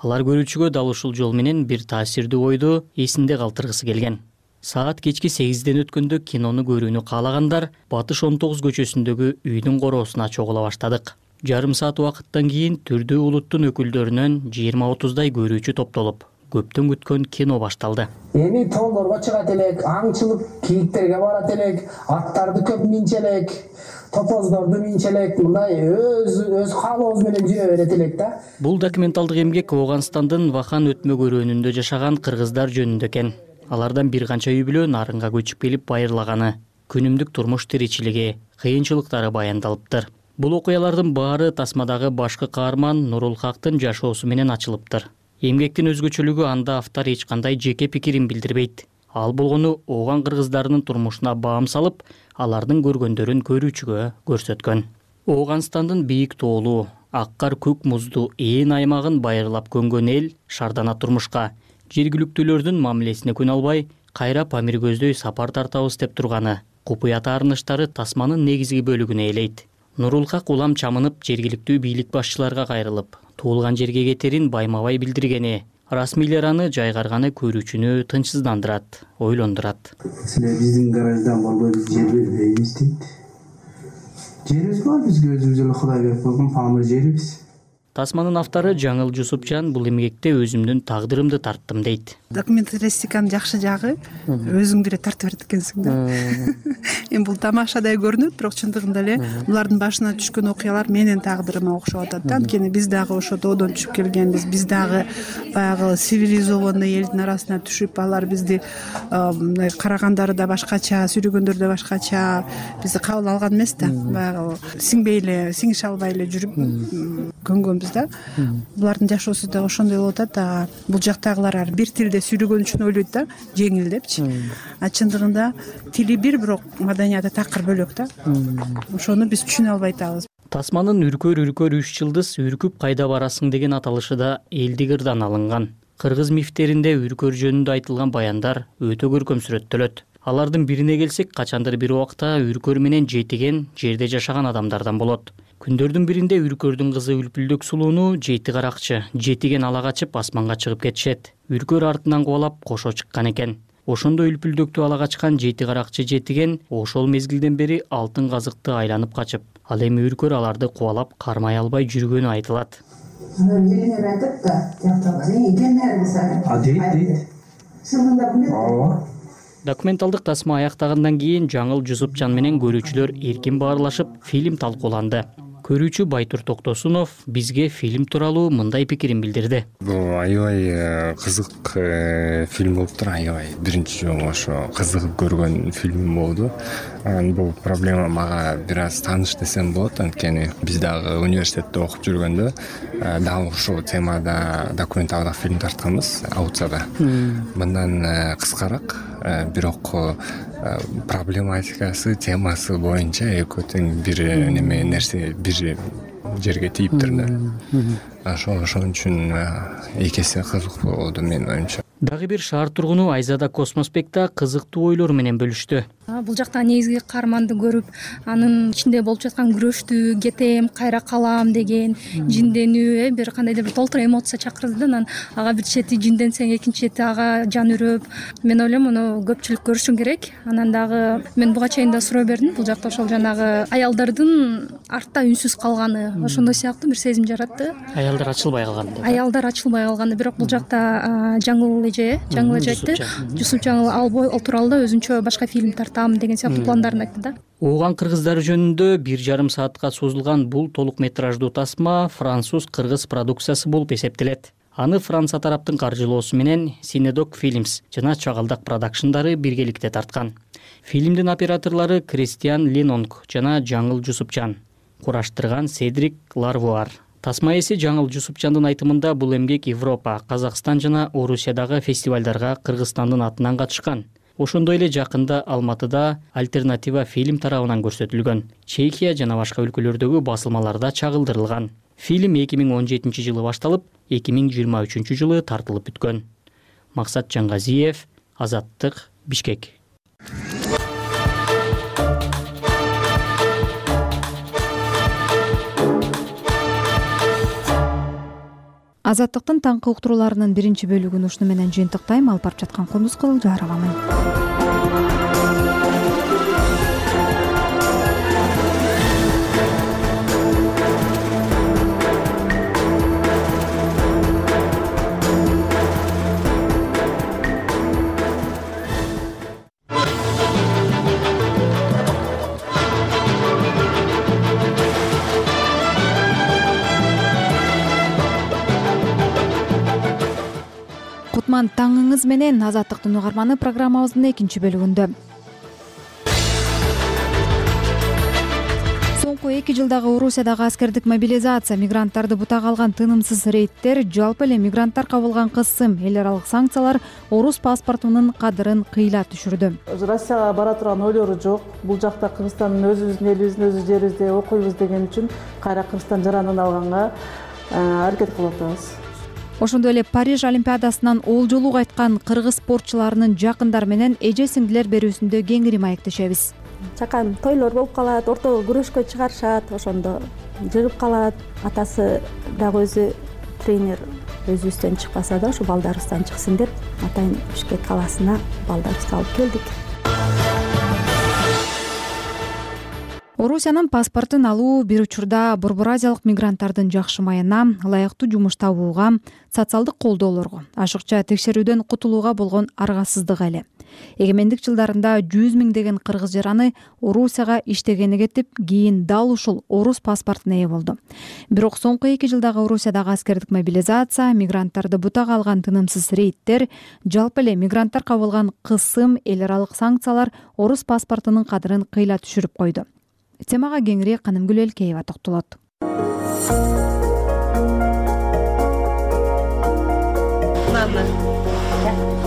Алар көрүүчүгө дал ушул жол менен бир таасирдүү ойду эсинде калтыргысы келген. Саат кечки 8ден өткөндө кинону көрүүнү каалагандар Батыш 19 көчөсүндөгү үйдүн короосуна чогула баштадык. Жарым саат убакыттан кийин түрдүү улуттун өкүлдөрүнөн 20-30дай көрүүчү топтолуп, көптөн күткөн кино башталды. Эми тоолорго чыгат элек, аңчылык кийиктерге барат элек, аттарды көп минче элек, топоздорду минче элек, мындай өз каалообуз менен жүрө берет элек да. Бул документалдык эмгек Ооганстандын Вахан өтмө көрөөнүндө жашаган кыргыздар жөнүндө экен. Алардан бир канча үй бүлө нарынга көчүп келип байырлаганы, күнүмдүк турмуш тиричилиги, кыйынчылыктары баяндалыптыр. Бул окуялардын баары тасмадагы башкы каарман Нурулхактын жашоосу менен ачылыптыр. Эмгектин өзгөчөлүгү анда автор эч кандай жеке пикирин билдирбейт. Ал болгону ооган кыргыздарынын турмушуна баам салып, алардын көргөндөрүн көрүүчүгө көрсөткөн. Ооганстандын бийик тоолу, аккар көк муздуу ээн аймагын байырлап көнгөн эл шардана турмушка, жергиликтүүлөрдүн мамилесине күн албай, кайра Памир көздөй сапар тартабыз деп турганы, купуя таарыныштары тасманын негизги бөлүгүнө ээлейт. Нурулхак улам чамынып жергиликтүү бийлик башчыларга кайрылып, туулган жерге кетерин байма-бай билдиргени, расмийлер аны жайгарганы көрүүчүнү тынчсыздандырат, ойлондурат. Силер биздин гараждан болбой биз жер бербейбиз дейт. Жерибиз бар, бизге өзүбүз эле Кудай берип койгон Памир жерибиз. Тасманын автору Жаңыл Жусупжан бул эмгекте өзүмдүн тагдырымды тарттым дейт. Документалистиканын жакшы жагы өзүңдү эле тартып берет экенсиң да. Эми бул тамашадай көрүнөт, бирок чындыгында эле булардын башына түшкөн окуялар менин тагдырыма окшоп атат да. Анткени биз дагы ошо тоодон түшүп келгенбиз, биз дагы баягы цивилизованный элдин арасына түшүп, алар бизди карагандары да башкача, сүрүгөндөрү да башкача, бизди кабыл алган эмес да. Баягы сиңбей эле, сиңише албай эле жүрүп көнгөнбүз да. Булардын жашоосу да ошондой болуп атат да. Бул жактагылар бир тилде сүйлөгөн үчүн ойлойт да, жеңил депчи. А чындыгында тили бир, бирок маданияты такыр бөлөк да. Ошону биз түшүнө албай атабыз. Тасманын Үркөр 3 жылдыз үркүп кайда барасың деген аталышы да элдик ырдан алынган. Кыргыз мифтеринде үркөр жөнүндө айтылган баяндар өтө көркөм сүрөттөлөт. Алардын бирине келсек, качандыр бир убакта үркөр менен жетиген жерде жашаган адамдардан болот. Күндөрдүн биринде үркөрдүн кызы Үлпүлдөк сулууну жети каракчы, жетиген ала качып асманга чыгып кетишет. Үркөр артынан кубалап кошо чыккан экен. Ошондо Үлпүлдөктү ала качкан жети каракчы жетиген ошол мезгилден бери алтын казыкты айланып качып, ал эми үркөр аларды кубалап кармай албай жүргөнү айтылат. Документалдык тасма аяктагандан кийин Жаңыл Жусупжан менен көрүүчүлөр эркин баарлашып, фильм талкууланды. Көрүүчү Байтур Токтосунов бизге фильм тууралуу мындай пикирин билдирди. Бул аябай кызык фильм болуптур, аябай биринчи жолу ошо кызыгып көргөн фильм болду. Бул проблема мага бир аз тааныш десем болот, анткени биз дагы университетте окуп жүргөндө дал ушул темада документалдык фильм тартканбыз Аутсада. Мындан кыскараак, бирок проблематикасы, темасы боюнча экөө тең бир неме нерсе бир жерге тийиптир да. Ошон үчүн эки эсе кызык болду менин оюмча. Дагы бир шаар тургуну Айзада Космоспекта кызыктуу ойлор менен бөлүштү. Бул жакта негизги каарманды көрүп, анын ичинде болуп жаткан күрөштү, кетем, кайра калам деген жинденүү, бир кандайдыр бир толтура эмоция чакырды да. Анан ага бир чети жинденсең, экинчи чети ага жан үрөп. Мен ойлойм, муну көпчүлүк көрүшү керек. Анан дагы мен буга чейин да суроо бердим. Бул жакта ошол жанагы аялдардын артта үнсүз калганы, ошондой сыяктуу бир сезим жаратты. Аялдар ачылбай калган деп. Аялдар ачылбай калганы. Бирок бул жакта жаңыл эже айтты. Жусуп жаңыл ал тууралуу да өзүнчө башка фильм тартам деген сыяктуу пландарын айтты да. Ооған кыргыздары жөнүндө 1,5 саатка созулган бул толук метраждуу тасма француз-кыргыз продукциясы болуп эсептелет. Аны Франция тараптын каржылоосу менен Синедок Films жана Чагалдак продакшндары биргеликте тарткан. Фильмдин операторлору Кристиан Ленонг жана Жаңыл Жусупчан, кураштырган Седрик Ларвуар. Тасма ээси Жаңыл Жусупчандын айтымында бул эмгек Европа, Казакстан жана Орусиядагы фестивалдарга Кыргызстандын атынан катышкан. Ошондой эле жакында Алматыда Альтернатива фильм тарабынан көрсөтүлгөн. Чехия жана башка өлкөлөрдөгү басылмаларда чагылдырылган. Фильм 2017-жылы башталып, 2023-жылы тартылып бүткөн. Максат Жаңгазиев, Азаттык, Бишкек. Азаттыктын таңкы уктурууларынын биринчи бөлүгүн ушуну менен жыйынтыктайм. Алып барып жаткан Кундуз Кызыл Жааровамын. Кутман таңыңыз менен, Азаттыктын угарманы программабыздын экинчи бөлүгүндө. Соңку 2 жылдагы Орусиядагы аскердик мобилизация, мигранттарды бутага алган тынымсыз рейдтер, жалпы эле мигранттар кабылган кысым, эл аралык санкциялар орус паспортунун кадырын кыйла түшүрдү. Россияга бара турган ойлору жок. Бул жакта Кыргызстандын өзүбүздүн элибиздин өз жерибизде окуйбуз деген үчүн кайра Кыргызстан жаранын алганга аракет кылып атабыз. Ошондой эле Париж Олимпиадасынан олжолуу кайткан кыргыз спортчуларынын жакындары менен эже сиңдилер берүүсүндө кеңири маектешебиз. Чакан тойлор болуп калат, ортого күрөшкө чыгарышат, ошондо жыгып калат. Атасы дагы өзү тренер өзүбүздөн чыкпаса да, ушу балдарыбыздан чыксын деп, атайын Бишкек калаасына балдарыбызды алып келдик. Орусиянын паспортун алуу бир учурда Борбор Азиялык мигранттардын жакшымайына, ылайыктуу жумуш табууга, социалдык колдоолорго, ашыкча текшерүүдөн кутулууга болгон аргасыздык эле. Эгемендик жылдарында 100 миңдеген кыргыз жараны Орусияга иштегени кетип, кийин дал ушул орус паспортуна ээ болду. Бирок соңку 2 жылдагы Орусиядагы аскердик мобилизация, мигранттарды бутага алган тынымсыз рейдтер, жалпы эле мигранттар кабылган кысым, эл аралык санкциялар орус паспортунун кадырын кыйла түшүрүп койду. Темага кеңири Канымгүл Элкеева токтолот.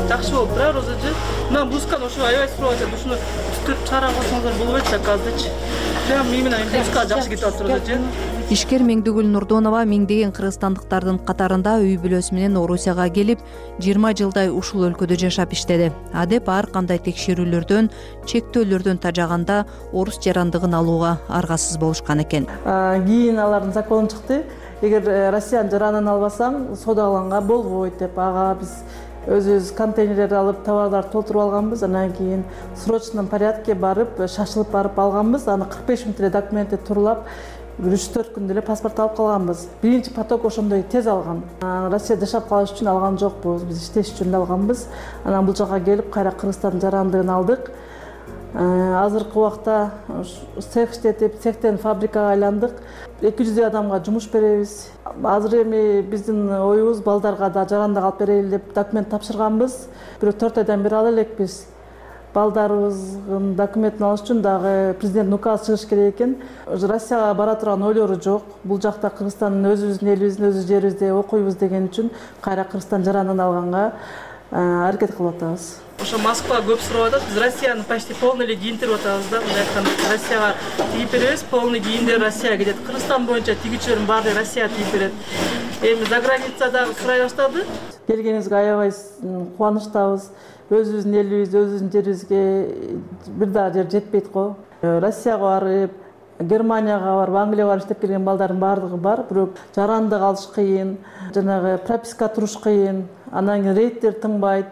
Жакшы болуп турабы Розажы? Мен блузканы ошо аябай сурап атат. Ушуну түтүп чыгара койсоңуздар болбойт да азырчы. Прям мен менен блузка жакшы кетип атат Розажы. Ишкер Меңдигүл Нурдонова миңдеген кыргызстандыктардын катарында үй бүлөсү менен Орусияга келип, 20 жылдай ушул өлкөдө жашап иштеди. Адеп ар кандай текшерүүлөрдөн, чектөөлөрдөн тажаганда орус жарандыгын алууга аргасыз болушкан экен. Кийин алардын закону чыкты. Эгер Россиянын жаранын албасаң, содаланга болбойт деп, ага биз өзүбүз контейнерлерди алып, товарларды толтуруп алганбыз. Анан кийин срочном порядке барып, шашылып барып алганбыз. Аны 45 мүнөт эле документти турлап, 3-4 күндө эле паспорт алып калганбыз. Биринчи поток ошондой тез алган. Россияда жашап калыш үчүн алган жокпуз, биз иштеш үчүн алганбыз. Анан бул жака келип, кайра Кыргызстандын жарандыгын алдык. Азыркы убакта цех иштетип, цехтен фабрикага айландык. 200 адамга жумуш беребиз. Азыр эми биздин оюбуз балдарга да жарандык алып берели деп документ тапшырганбыз. Бирок 4 айдан бери ала элекпиз. Балдарыбыздын документин алыш үчүн дагы президент указ чыгыш керек экен. Россияга бара турган ойлору жок. Бул жакта Кыргызстандын өзүбүздүн элибиздин өз жерибизде окуйбуз деген үчүн кайра Кыргызстан жаранын алганга аракет кылып атабыз. Ошо Москва көп сурап атат. Биз Россияны почти полный эле кийинтирип атабыз да. Мындай айтканда Россияга тигип беребиз, полный кийиндер Россияга кетет. Кыргызстан боюнча тигүүчүлөрдүн баары Россияга тигип берет. эми за граница дагы сурай баштады. Келгениңизге аябай кубанычтабыз. Өзүбүздүн элибиз, өзүбүздүн жерибизге бир дагы жер жетпейт го. Россияга барып, Германияга барып, Англияга барып иштеп келген балдардын баардыгы бар, бирок жарандык алыш кыйын, жанагы прописка туруш кыйын, анан кийин рейдтер тынбайт.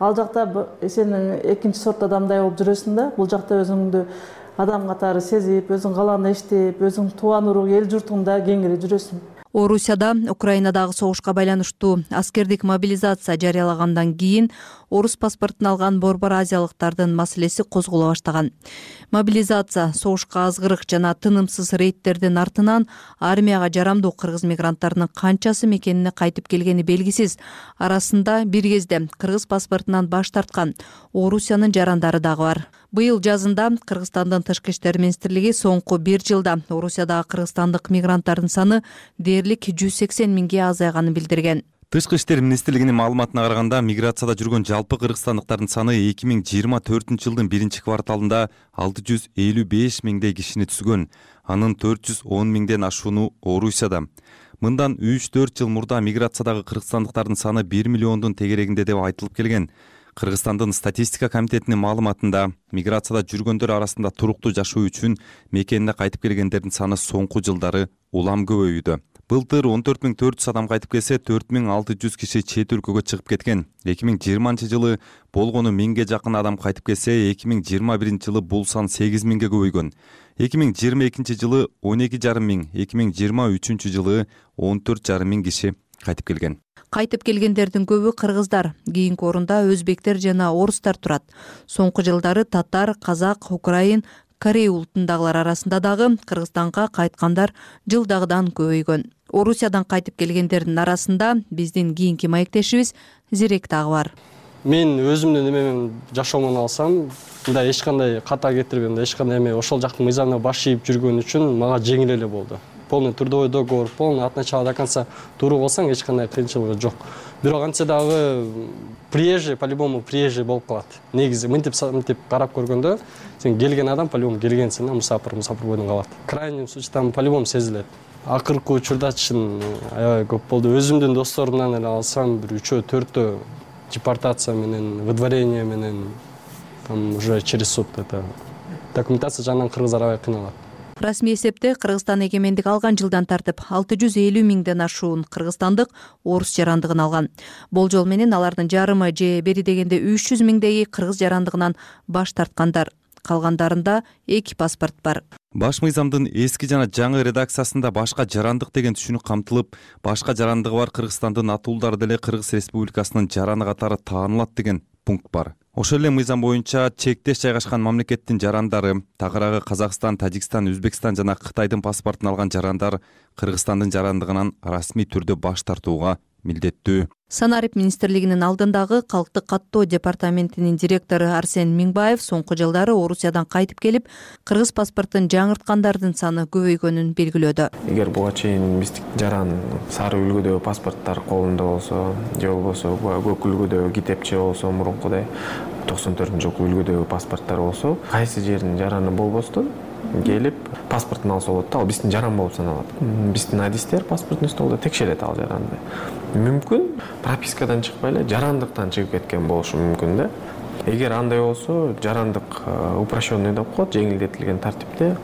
Ал жакта сен экинчи сорт адамдай болуп жүрөсүң да. Бул жакта өзүңдү адам катары сезип, өзүң каалагандай иштеп, өзүң тууган урук, эл журтуңда кеңири жүрөсүң. Орусияда Украинадагы согушка байланыштуу аскердик мобилизация жарыялагандан кийин орус паспортун алган борбор азиялыктардын маселеси козголо баштаган. Мобилизация, согушка азгырык жана тынымсыз рейдтердин артынан армияга жарамдуу кыргыз мигранттарынын канчасы мекенине кайтып келгени белгисиз. Арасында бир кезде кыргыз паспортунан баш тарткан Орусиянын жарандары дагы бар. Быйыл жазында Кыргызстандын тышкы иштер министрлиги соңку бир жылда Орусиядагы кыргызстандык мигранттардын саны дээрлик 180 миңге азайганын билдирген. Тышкы иштер министрлигинин маалыматына караганда, миграцияда жүргөн жалпы кыргызстандыктардын саны 2024 жылдын биринчи кварталында 655 миңдей кишини түзгөн. Анын 410 миңден ашууну Орусияда. Мындан 3-4 жыл мурда миграциядагы кыргызстандыктардын саны 1 миллиондун тегерегинде деп айтылып келген. Кыргызстандын статистика комитетинин маалыматында миграцияда жүргөндөр арасында туруктуу жашоо үчүн мекенине кайтып келгендердин саны соңку жылдары улам көбөйүүдө. Былтыр 14.400 адам кайтып келсе, 4.600 киши чет өлкөгө чыгып кеткен. 2020 жылы болгону 1000ге жакын адам кайтып келсе, 2021 жылы бул сан 8 миңге көбөйгөн. 2022 жылы 12,5 миң, 2023 жылы 14,5 миң киши кайтып келген. Кайтып келгендердин көбү кыргыздар, кийинки орунда өзбектер жана орустар турат. Соңку жылдары татар, казак, украин, корей улутундагылар арасында дагы Кыргызстанга кайткандар жылдагыдан көбөйгөн. Орусиядан кайтып келгендердин арасында биздин кийинки маектешибиз Зирек дагы бар. Мен өзүмдүн эмемен жашоомун алсам, мындай эч кандай ката кетирбей, эч кандай эме ошол жактын мыйзамына баш ийип жүргөн үчүн мага жеңил эле болду. Полный трудовой договор, полный от начала до конца туру болсаң эч кандай кыйынчылыгы жок. Бирок антсе дагы приезжий, по-любому приезжий болуп калат. Негизи мынтип карап көргөндө сен келген адам по-любому келгенсиң да, мусафир бойдон калат. Крайний случайда по-любому сезилет. Акыркы учурда чын аябай көп болду. Өзүмдүн досторумдан эле алсам, бир 3-4 депортация менен, выдворение менен, там уже через суд это документация жагынан кыргыздар аябай кыйналат. Расмий эсепте Кыргызстан эгемендик алган жылдан тартып 650 миңден ашуун кыргызстандык орус жарандыгын алган. Болжол менен алардын жарымы же бери дегенде 300 миңдеги кыргыз жарандыгынан баш тарткандар. Калгандарында эки паспорт бар. Баш мыйзамдын эски жана жаңы редакциясында башка жарандык деген түшүнүк камтылып, башка жарандыгы бар Кыргызстандын атуулдары деле Кыргыз Республикасынын жараны катары таанылат деген пункт бар. Ошол эле мыйзам боюнча чектеш жайгашкан мамлекеттин жарандары, тагыраагы Казакстан, Тажикстан, Өзбекстан жана Кытайдын паспортун алган жарандар Кыргызстандын жарандыгынан расмий түрдө баш тартууга милдеттүү. Санарип министрлигинин алдындагы калктык каттоо департаментинин директору Арсен Миңбаев соңку жылдары Орусиядан кайтып келип, кыргыз паспортун жаңырткандардын саны көбөйгөнүн белгилөөдө. Эгер буга чейин биздик жаран сары үлгүдөгү паспорттор колунда болсо, же болбосо көк үлгүдөгү китепче болсо, мурункудай 94-жылкы үлгүдөгү паспорттор болсо, кайсы жердин жараны болбостон келип паспортун алса болот да, ал биздин жаран болуп саналат. Биздин адистер паспортный столдо текшерет ал жаранды. Мүмкүн пропискадан чыкпай эле жарандыктан чыгып кеткен болушу мүмкүн да. Эгер андай болсо, жарандык упрощенный деп коет, жеңилдетилген тартипте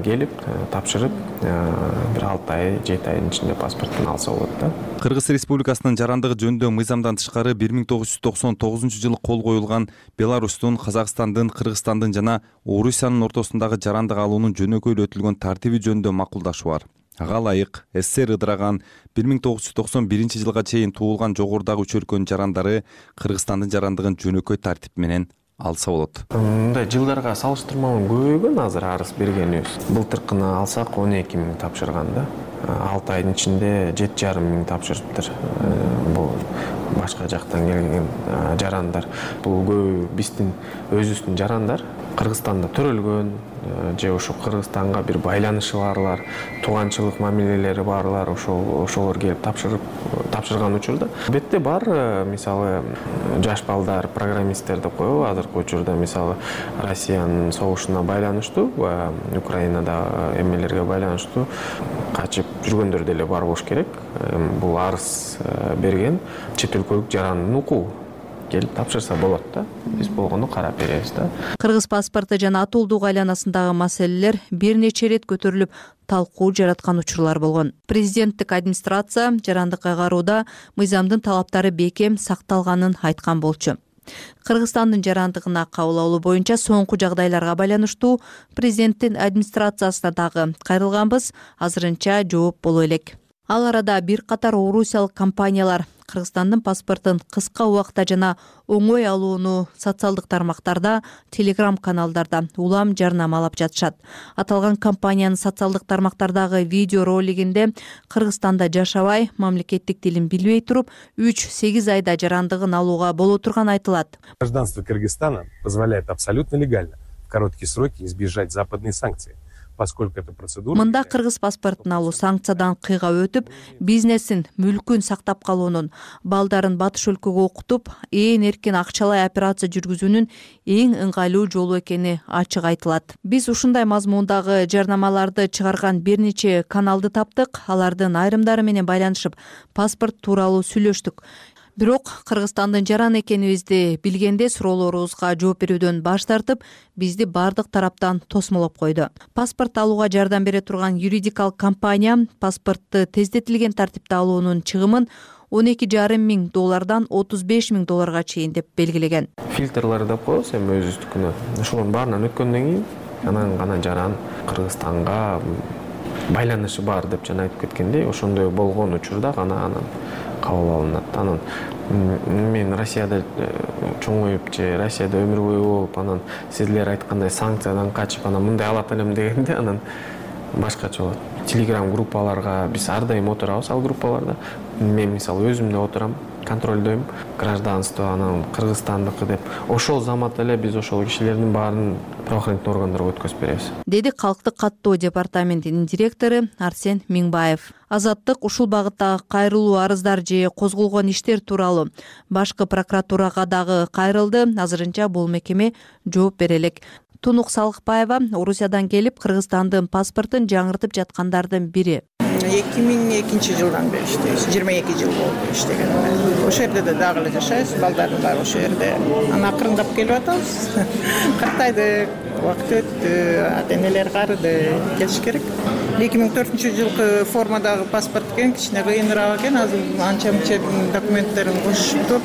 келип тапшырып, бир 6 ай, 7 айдын ичинде паспортун алса болот да. Кыргыз Республикасынын жарандыгы жөнүндө мыйзамдан тышкары 1999-жылы кол коюлган Беларустун, Казакстандын, Кыргызстандын жана Орусиянын ортосундагы жарандык алуунун жөнөкөйлөтүлгөн тартиби жөнүндө макулдашуу бар. Ага ылайык СССР ыдыраган 1991 жылга чейин туулган жогорудагы 3 өлкөнүн жарандары Кыргызстандын жарандыгын жөнөкөй тартип менен алса болот. Мындай жылдарга салыштырмалуу көбөйгөн азыр арыз бергенибиз. Былтыркыны алсак 12 миң тапшырган да. 6 айдын ичинде 7,5 миң тапшырыптыр. Бул башка жактан келген жарандар. Бул көбү биздин өзүбүздүн жарандар. Кыргызстанда төрөлгөн же ошо Кыргызстанга бир байланышы барлар, тууганчылык мамилелери барлар ошолор келип тапшырган учурда албетте бар. Мисалы жаш балдар, программисттер деп коебу, азыркы учурда мисалы Россиянын согушуна байланыштуу, Украинада эмелерге байланыштуу качып жүргөндөр деле бар болуш керек. Бул арыз берген чет өлкөлүк жарандын укугу. Келип тапшырса болот да. Биз болгону карап беребиз да. Кыргыз паспорту жана атуулдук айланасындагы маселелер бир нече ирет көтөрүлүп, талкуу жараткан учурлар болгон. Президенттик администрация жарандык кайгарууда мыйзамдын талаптары бекем сакталганын айткан болчу. Кыргызстандын жарандыгына кабыл алуу боюнча соңку жагдайларга байланыштуу президенттин администрациясына дагы кайрылганбыз, азырынча жооп боло элек. Ал арада бир катар орусиялык компаниялар Кыргызстандын паспортун кыска убакта жана оңой алууну социалдык тармактарда, телеграм-каналдарда улам жарнамалап жатышат. Аталган компаниянын социалдык тармактардагы видео ролигинде Кыргызстанда жашабай, мамлекеттик тилин билбей туруп, 3-8 айда жарандыгын алууга боло турганы айтылат. Гражданство Кыргызстана позволяет абсолютно легально в короткие сроки избежать западные санкции. Мында кыргыз паспортун алуу санкциядан кыйгап өтүп, бизнесин, мүлкүн сактап калуунун, балдарын батыш өлкөгө окутуп, ээн эркин акчалай операция жүргүзүүнүн эң ыңгайлуу жолу экени ачык айтылат. Биз ушундай мазмундагы жарнамаларды чыгарган бир нече каналды таптык, алардын айрымдары менен байланышып, паспорт тууралуу сүйлөштүк. Бирок Кыргызстандын жаран экенибизди билгенде суроолорубузга жооп берүүдөн баш тартып, бизди бардык тараптан тосмолоп койду. Паспорт алууга жардам бере турган юридикалык компания паспортту тездетилген тартипте алуунун чыгымын $12,5 миң $35,000 чейин деп белгилеген. Фильтрлар деп коебуз эми өзүбүздүкүнө. Ошонун баарынан өткөндөн кийин анан гана жаран Кыргызстанга байланышы бар деп жана айтып кеткендей, ошондой болгон учурда гана анан кабыл алынат. Анан мен Россияда чоңоюп же Россияда өмүр бою болуп, анан силер айткандай санкциядан качып, анан мындай алат элем дегенде анан башкача болот. Телеграм группаларга биз ар дайым отурабыз, ал группаларда. Мен мисалы өзүм да отурам, контролдойм гражданство, анан Кыргызстандыкы деп. Ошол заматта эле биз ошол кишилердин баарын правоохранительный органдарга өткөзүп беребиз. Деди Калктык каттоо департаментинин директору Арсен Миңбаев. Азаттык ушул багыттагы кайрылуу арыздар же козголгон иштер тууралуу башкы прокуратурага дагы кайрылды. Азырынча бул мекеме жооп бере элек. Тунук Салыкбаева Орусиядан келип Кыргызстандын паспортун жаңыртып жаткандардын бири. 2002-жылдан бери иштейбиз. 22 жыл болду иштегениме. Ошол жерде дагы эле жашайбыз, балдардын баары ошол жерде. Аны акырындап келип атабыз. Картайды, убакыт өттү, ата-энелер карыды, келиш керек. 2004-жылкы формадагы паспорт экен, кичине кыйыныраак экен. Азыр анча-мынча документтерин кошуп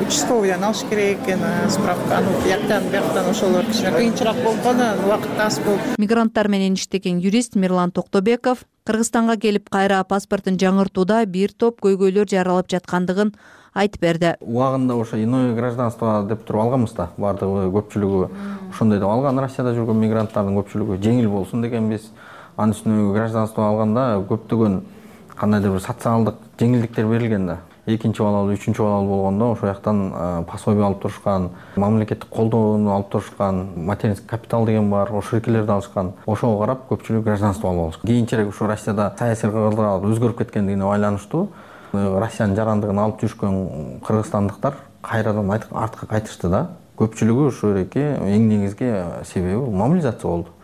участковыйдан алыш керек экен, справканы бияктан ошолор кичине кыйынчыраак болуп калды, убакыт аз болуп. Мигранттар менен иштеген юрист Мирлан Токтобеков Кыргызстанга келип кайра паспортун жаңыртууда бир топ көйгөйлөр жаралып жаткандыгын айтып берди. Убагында ошо иное гражданство деп туруп алганбыз да, бардыгы көпчүлүгү ошондой деп алган. Россияда жүргөн мигранттардын көпчүлүгү жеңил болсун дегенбиз. Анын үстүнө гражданство алганда көптөгөн кандайдыр бир социалдык жеңилдиктер берилген да. Экинчи балалуу, үчүнчү балалуу болгондо ошол жактан пособие алып турушкан, мамлекеттик колдоону алып турушкан, материнский капитал деген бар, ошол эркелерди алышкан. Ошого карап көпчүлүк гражданство алып алышкан. Кийинчерээк ушу Россияда саясий кыргыздар өзгөрүп кеткендигине байланыштуу Россиянын жарандыгын алып жүрүшкөн кыргызстандыктар кайрадан артка кайтышты да. Көпчүлүгү ошол эки эң негизги себеби мобилизация болду.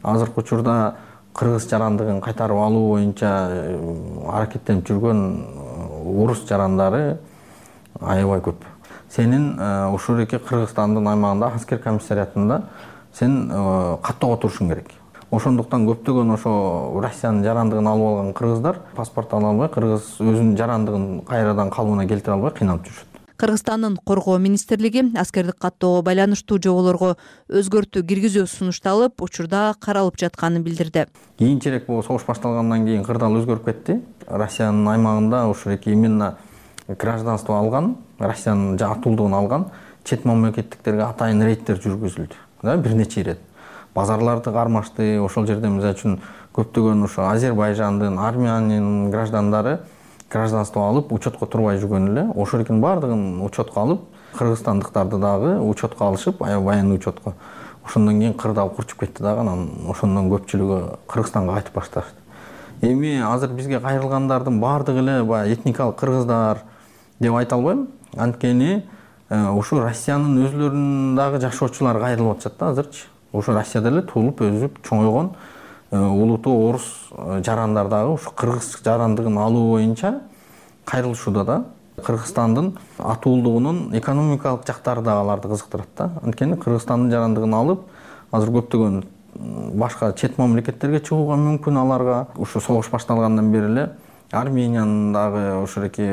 Азыркы учурда кыргыз жарандыгын кайтарып алуу боюнча аракеттенип жүргөн орус жарандары аябай көп. Сенин ушул эки Кыргызстандын аймагында аскер комиссариатында сен каттоого турушуң керек. Ошондуктан көптөгөн ошо Россиянын жарандыгын алып алган кыргыздар паспорт ала албай, кыргыз өзүнүн жарандыгын кайрадан калыбына келтире албай кыйналып жүрүшөт. Кыргызстандын коргоо министрлиги аскердик каттоого байланыштуу жоболорго өзгөртүү киргизүү сунушталып, учурда каралып жатканын билдирди. Кийинчерээк бул согуш башталгандан кийин кырдаал өзгөрүп кетти. Россиянын аймагында ошол эки именно гражданство алган, Россиянын атуулдугун алган чет мамлекеттиктерге атайын рейдтер жүргүзүлдү. Да, бир нече ирет. Базарларды кармашты. Ошол жерде мисалы үчүн көптөгөн ошо Азербайжандын, Армениянын граждандары гражданство алып, учетко турбай жүргөн эле. Ошол экинин баардыгын учетко алып, кыргызстандыктарды дагы учетко алышып, аябай баяндуу учетко. ошондон кийин кырдаал курчуп кетти дагы. Анан ошондон көпчүлүгү Кыргызстанга кайтып башташты. Эми азыр бизге кайрылгандардын баардыгы эле баягы этникалык кыргыздар деп айта албайм. Анткени ушу Россиянын өзүлөрүнүн дагы жашоочулары кайрылып атышат да азырчы. Ушу Россияда эле туулуп өсүп чоңойгон улуттуу орус жарандар дагы ушу кыргыз жарандыгын алуу боюнча кайрылышууда да. Кыргызстандын атуулдугунун экономикалык жактары да аларды кызыктырат да. Анткени Кыргызстандын жарандыгын алып, азыр көптөгөн башка чет мамлекеттерге чыгууга мүмкүн аларга. Ушу согуш башталгандан бери эле Армениянын дагы ушуреки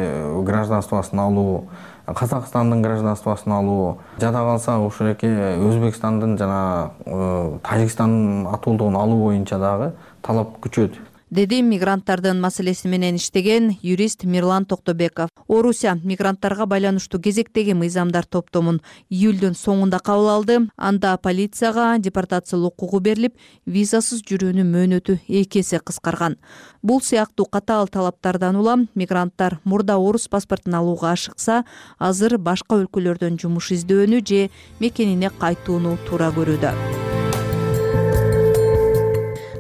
гражданствосын алуу, Казакстандын гражданствосын алуу, жада калса ушуреки Өзбекстандын жана Тажикстандын атуулдугун алуу боюнча дагы талап күчөдү, деди мигранттардын маселеси менен иштеген юрист Мирлан Токтобеков. Орусия мигранттарга байланыштуу кезектеги мыйзамдар топтомун июлдун соңунда кабыл алды. Анда полицияга депортациялоо укугу берилип, визасыз жүрүүнүн мөөнөтү 2 эсе кыскарган. Бул сыяктуу катаал талаптардан улам мигранттар мурда орус паспортун алууга ашыкса, азыр башка өлкөлөрдөн жумуш издөөнү же мекенине кайтууну туура көрүүдө.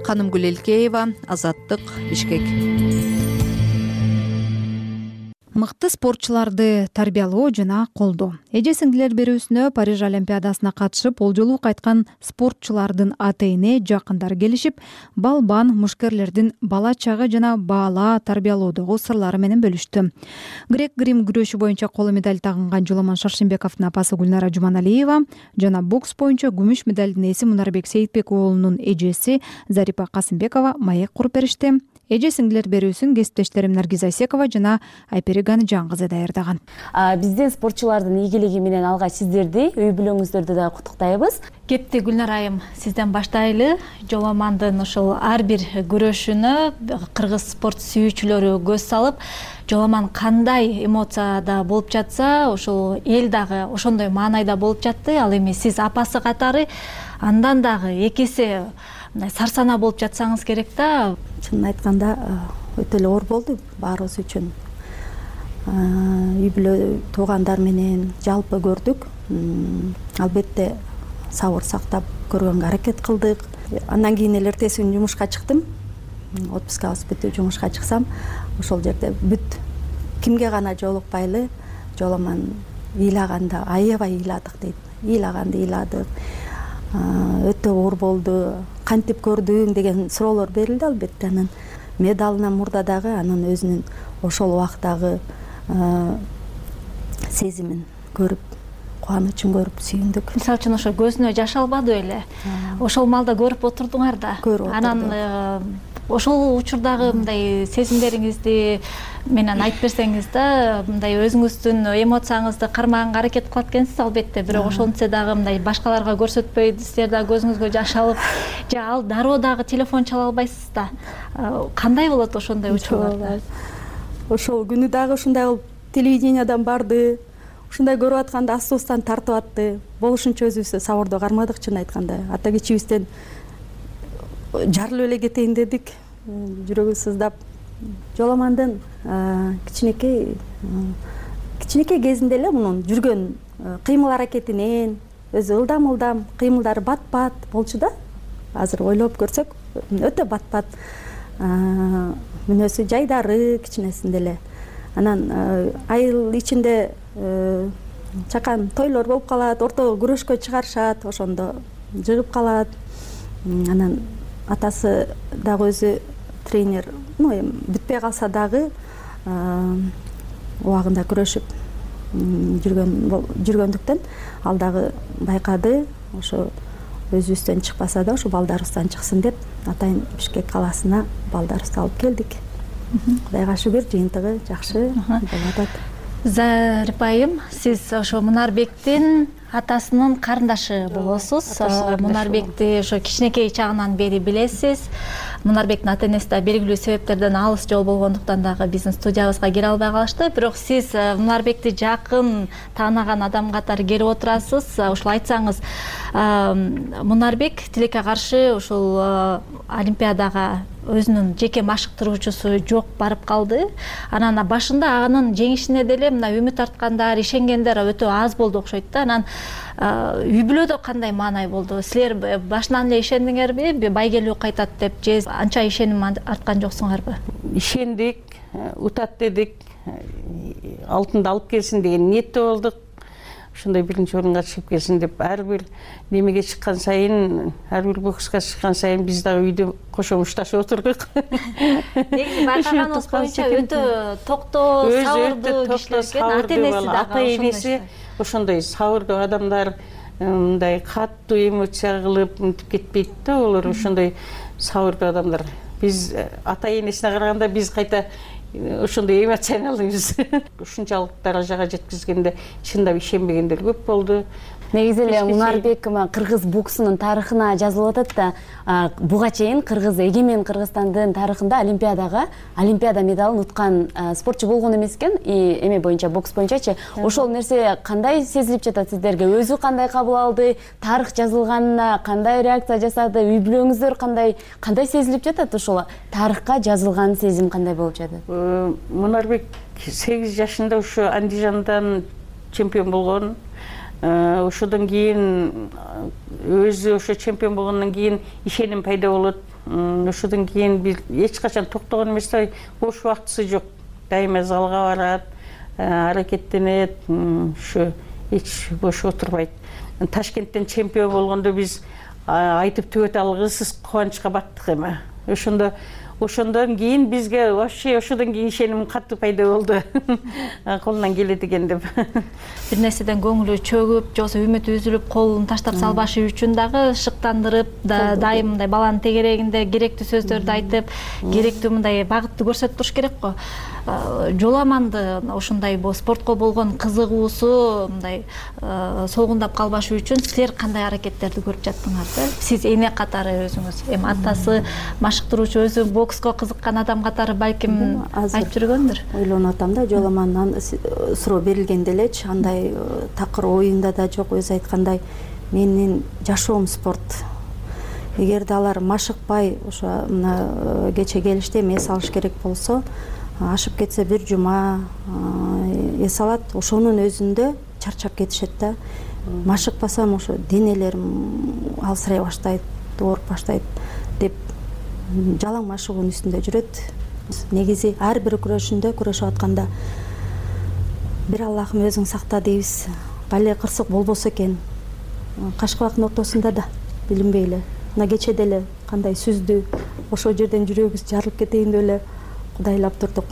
Канымгүл Элкеева, Азаттык, Бишкек. Мыкты спортчуларды тарбиялоо жана колдоо. Эже сиңдилер берүүсүнө Париж Олимпиадасына катышып, олжолуу кайткан спортчулардын ата-эне жакындары келишип, балбан мушкерлердин бала чагы жана бала тарбиялоодогу сырлары менен бөлүштү. Грек-грим күрөшү боюнча коло медаль тагынган Жоламан Шаршембековдун апасы Гүлнара Жуманалиева жана бокс боюнча күмүш медалдын ээси Мунарбек Сейитбек уулунун эжеси Зарипа Касымбекова маек куруп беришти. Эже сиңдилер берүүсүн кесиптештерим Наргиз Айсекова жана Айпери Ганижан кызы даярдаган. Биздин спортчулардын ийгилиги менен алгач сиздерди, үй бүлөңүздөрдү да куттуктайбыз. Кепти Гүлнара айым, сизден баштайлы. Жоламандын ушул ар бир күрөшүнө кыргыз спорт сүйүүчүлөрү көз салып, Жоламан кандай эмоцияда болуп жатса, ушул эл дагы ошондой маанайда болуп жатты. Ал эми сиз апасы катары андан дагы 2 эсе сарсана болуп жатсаңыз керек да. Чынын айтканда өтө эле оор болду баарыбыз үчүн. Үй бүлө туугандар менен жалпы көрдүк. Албетте сабыр сактап көргөнгө аракет кылдык. Андан кийин эле эртеси күнү жумушка чыктым. Отпускабыз бүтүп жумушка чыксам, ошол жерде бүт кимге гана жолукпайлы Жоламан ыйлаганда аябай ыйладык дейт. Ыйлаганды ыйладык. Өтө оор болду. Кантип көрдүң деген суроолор берилди албетте. Анан медалынан мурда дагы анын өзүнүн ошол убактагы сезимин көрүп, кубанычын көрүп сүйүндүк. Мисалы үчүн ошо көзүнө жаш албады беле? Ошол маалда көрүп отурдуңар да. Анан ошол учурдагы мындай сезимдериңизди менен айтып берсеңиз да, мындай өзүңүздүн эмоцияңызды кармаганга аракет кылат экенсиз албетте, бирок ошентсе дагы мындай башкаларга көрсөтпөй, силер дагы көзүңүзгө жаш алып, же ал дароо дагы телефон чала албайсыз да. Кандай болот ошондой учурларда? Ошол күнү дагы ушундай болуп, телевидениядан барды, ушундай көрүп атканда астыбыздан тартып атты. Болушунча өзүбүз сабырды кармадык, чын айтканда. Ата кечибизден жарылып эле кетейин дедик, жүрөгү сыздап. Жоламандын кичинекей кезинде эле мунун жүргөн кыймыл аракетинен өзү ылдам кыймылдары бат-бат болчу да. Азыр ойлоп көрсөк, өтө бат-бат. Мүнөзү жайдары кичинесинде эле. Анан айыл ичинде чакан тойлор болуп калат, ортого күрөшкө чыгарышат, ошондо жыгып калат. Анан атасы дагы өзү тренер, бүтпөй калса дагы убагында күрөшүп жүргөндүктөн ал дагы байкады, ошо өзүбүздөн чыкпаса да, ошо балдарыбыздан чыксын деп атайын Бишкек калаасына балдарыбызды алып келдик. Кудайга шүгүр, жыйынтыгы жакшы болуп атат. Зарипа айым, сиз ошо Мунарбектин атасынын карындашы болосуз. Мунарбекти ошо кичинекей чагынан бери билесиз. Мунарбектин ата-энеси да белгилүү себептерден алыс жол болгондуктан дагы биздин студиябызга келе албай калышты. Бирок сиз Мунарбекти жакын таанаган адам катары келип отурасыз. Ушул айтсаңыз, Мунарбек тилекке каршы ушул Олимпиадага өзүнүн жеке машыктыруучусу жок барып калды. Анан башында анын жеңишине деле мына үмүт арткандар, ишенгендер өтө аз болду окшойт да. Анан үй бүлөдө кандай маанай болду? Силер башынан эле ишендиңерби, байгелүү кайтат деп, же анча ишеним арткан жоксуңарбы? Ишендик, утат дедик, алтынды алып келсин деген ниетте болдук. Ушундай биринчи орунга чыгып келсин деп, ар бир немеге чыккан сайын, ар бир бокска чыккан сайын биз дагы үйдө кошо мушташып отурдук. Негизи байкаганыбыз боюнча өтө токтоо, сабырдуу кишилер экен, ата-энеси дагы ата-энеси ошондой сабырдуу адамдар, мындай катуу эмоция кылып мынтип кетпейт да, олар ошондой сабырдуу адамдар. Биз ата-энесине караганда биз кайта ошондой эмоционалдыбыз. Ушунчалык даражага жеткизгенде чындап ишенбегендер көп болду. Негизи эле Мунарбек кыргыз боксунун тарыхына жазылып атат да, буга чейин эгемен Кыргызстандын тарыхында Олимпиада медалын уткан спортчу болгон эмес экен, эме боюнча, бокс боюнчачы. Ошол нерсе кандай сезилип жатат сиздерге? Өзү кандай кабыл алды? Тарых жазылганына кандай реакция жасады? Үй бүлөңүздөр кандай сезилип жатат? Ошол тарыхка жазылган сезим кандай болуп жатат? Мунарбек 8 жашында ушу Андижандан чемпион болгон. Ошодон кийин өзү ошо чемпион болгондон кийин ишеним пайда болот. Ошодон кийин бир эч качан токтогон эмес, бош убактысы жок. Дайыма залга барат, аракеттенет, ушу эч бош отурбайт. Ташкенттен чемпион болгондо биз айтып түгөтө алгысыз кубанычка баттык эме. Ошондон кийин бизге вообще ошодон кийин ишеним катуу пайда болду. Колунан келет экен деп. Бир нерседен көңүлү чөгүп, жоксо үмүтү үзүлүп, колун таштап салбашы үчүн дагы шыктандырып, дайым мындай баланын тегерегинде керектүү сөздөрдү айтып, керектүү мындай багытты көрсөтүп туруш керек го. Жоламанды ушундай спортко болгон кызыгуусу мындай солгундап калбашы үчүн силер кандай аракеттерди көрүп жаттыңар? Сиз эне катары өзүңүз, эми атасы машыктыруучу, өзү бокско кызыккан адам катары балким айтып жүргөндүр. Ойлонуп атам да, Жоламандан суроо берилгенде элечи андай такыр оюнда да жок, өзү айткандай менин жашоом спорт. Эгерде алар машыкпай ошо мына кече келиште эс алыш керек болсо, ашып кетсе бир жума эс алат, ошонун өзүндө чарчап кетишет да. Машыкпасам ошо денелерим алсырай баштайт, ооруп баштайт деп жалаң машыгуунун үстүндө жүрөт. Негизи ар бир күрөшүндө күрөшүп атканда бир Аллахым өзүң сакта дейбиз. Бале кырсык болбосо экен. Кашкабактын ортосунда да билинбей эле, мына кече деле кандай сүздү, ошол жерден жүрөгүбүз жарылып кетейин деп эле кудайлап турдук.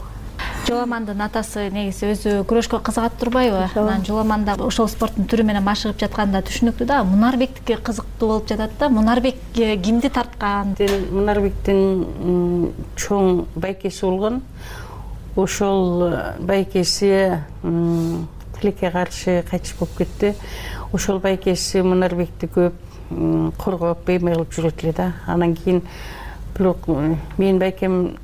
Жоламандын атасы негизи өзү күрөшкө кызыгат турбайбы? Анан Жоламанда ошол спорттун түрү менен машыгып жатканда түшүнүктүү да. Мунарбектики кызыктуу болуп жатат да. Мунарбек кимди тарткан? Мунарбектин чоң байкеси болгон. Ошол байкеси тилекке каршы кайтыш болуп кетти. Ошол байкеси Мунарбекти көп коргоп, эме кылып жүрөт эле да. Анан кийин бирок менин байкем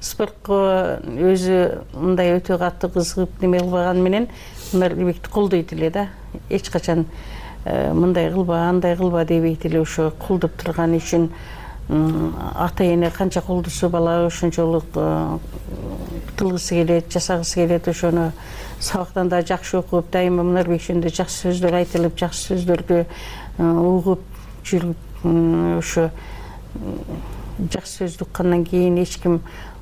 спортко өзү мындай өтө катуу кызыгып неме кылбаганы менен Мунарбекти колдойт эле да. Эч качан мындай кылба, андай кылба дебейт эле, ошо колдоп турганы үчүн ата-эне канча колдосо бала ошончолук кылгысы келет, жасагысы келет. Ошону сабактан да жакшы окуп, дайыма Мунарбек жөнүндө жакшы сөздөр айтылып, жакшы сөздөрдү угуп жүрүп, ошо жакшы сөздү уккандан кийин эч ким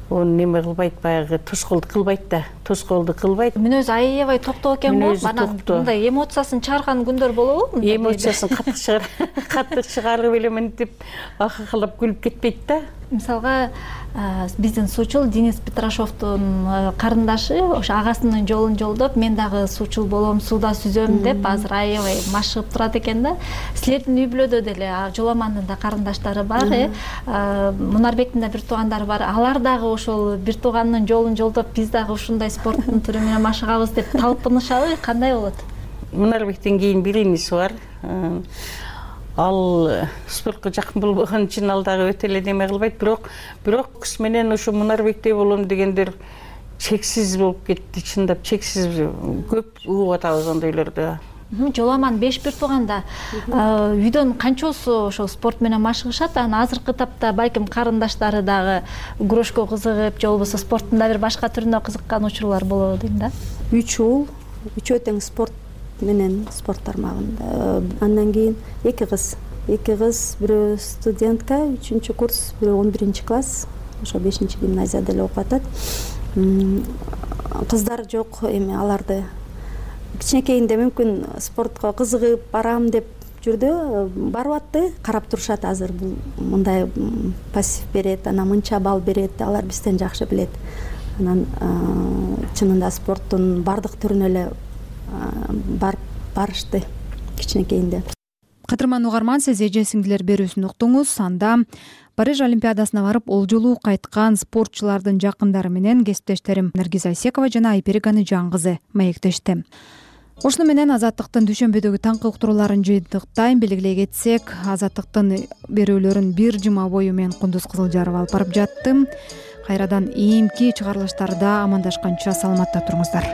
onu неме кылбайт, баягы тоскоолду кылбайт да, тоскоолду кылбайт. Мүнөзү аябай токтоо экен го. Анан мындай эмоциясын чыгарган күндөр болобу? Эмоциясын каттык чыгарып эле мынтип ахахалап күлүп кетпейт да. Мисалга биздин суучул Денис Петрашовдун карындашы ошо агасынын жолун жолдоп, мен дагы суучул болом, сууда сүзөм деп азыр аябай машыгып турат экен да. Силердин үй бүлөдө деле Жоламандын да карындаштары бар, Мунарбектин да бир туугандары бар. Алар дагы ошол бир тууганынын жолун жолдоп, биз дагы ушундай спорттун түрү менен машыгабыз деп талпынышабы, кандай болот? Мунарбектен кийин бир иниси бар. Ал спортко жакын болбогон үчүн ал дагы өтө эле неме кылбайт, бирок кыз менен ошо Мунарбектей болом дегендер чексиз болуп кетти, чындап чексиз көп угуп атабыз ондойлорду. Жоламан 5 бир тууганда үйдөн канчосу ошол спорт менен машыгышат? Анан азыркы тапта балким карындаштары дагы күрөшкө кызыгып, же болбосо спорттун да бир башка түрүнө кызыккан учурлар болобу дейм да. 3 ул, 3 тең спорт менен спорт тармагында. Андан кийин эки кыз, бирөө студентка, 3 курс, бирөө 11 класс, ошо 5 гимназияда эле окуп атат. Кыздар жок, эми аларды кичинекейинде мүмкүн спортко кызыгып барам деп жүрдү, барып атты, карап турушат азыр бул мындай пассив берет, анан мынча балл берет, алар бизден жакшы билет. Анан чынында спорттун бардык түрүнө эле барышты кичинекейинде. Кадырман угарман, сиз эже сиңдилер берүүсүн уктуңуз. Анда Париж Олимпиадасына барып олжолуу кайткан спортчулардын жакындары менен кесиптештерим Наргиз Айсекова жана Айперик Анижан кызы маектешти. Ошону менен Азаттыктын дүйшөмбөдөгү таңкы уктурууларын жыйынтыктайм. Белгилей кетсек, Азаттыктын берүүлөрүн бир жума бою мен Кундуз Кызылжарова алып барып жатты. Кайрадан ийимки чыгарылыштарда амандашканча саламатта туруңуздар.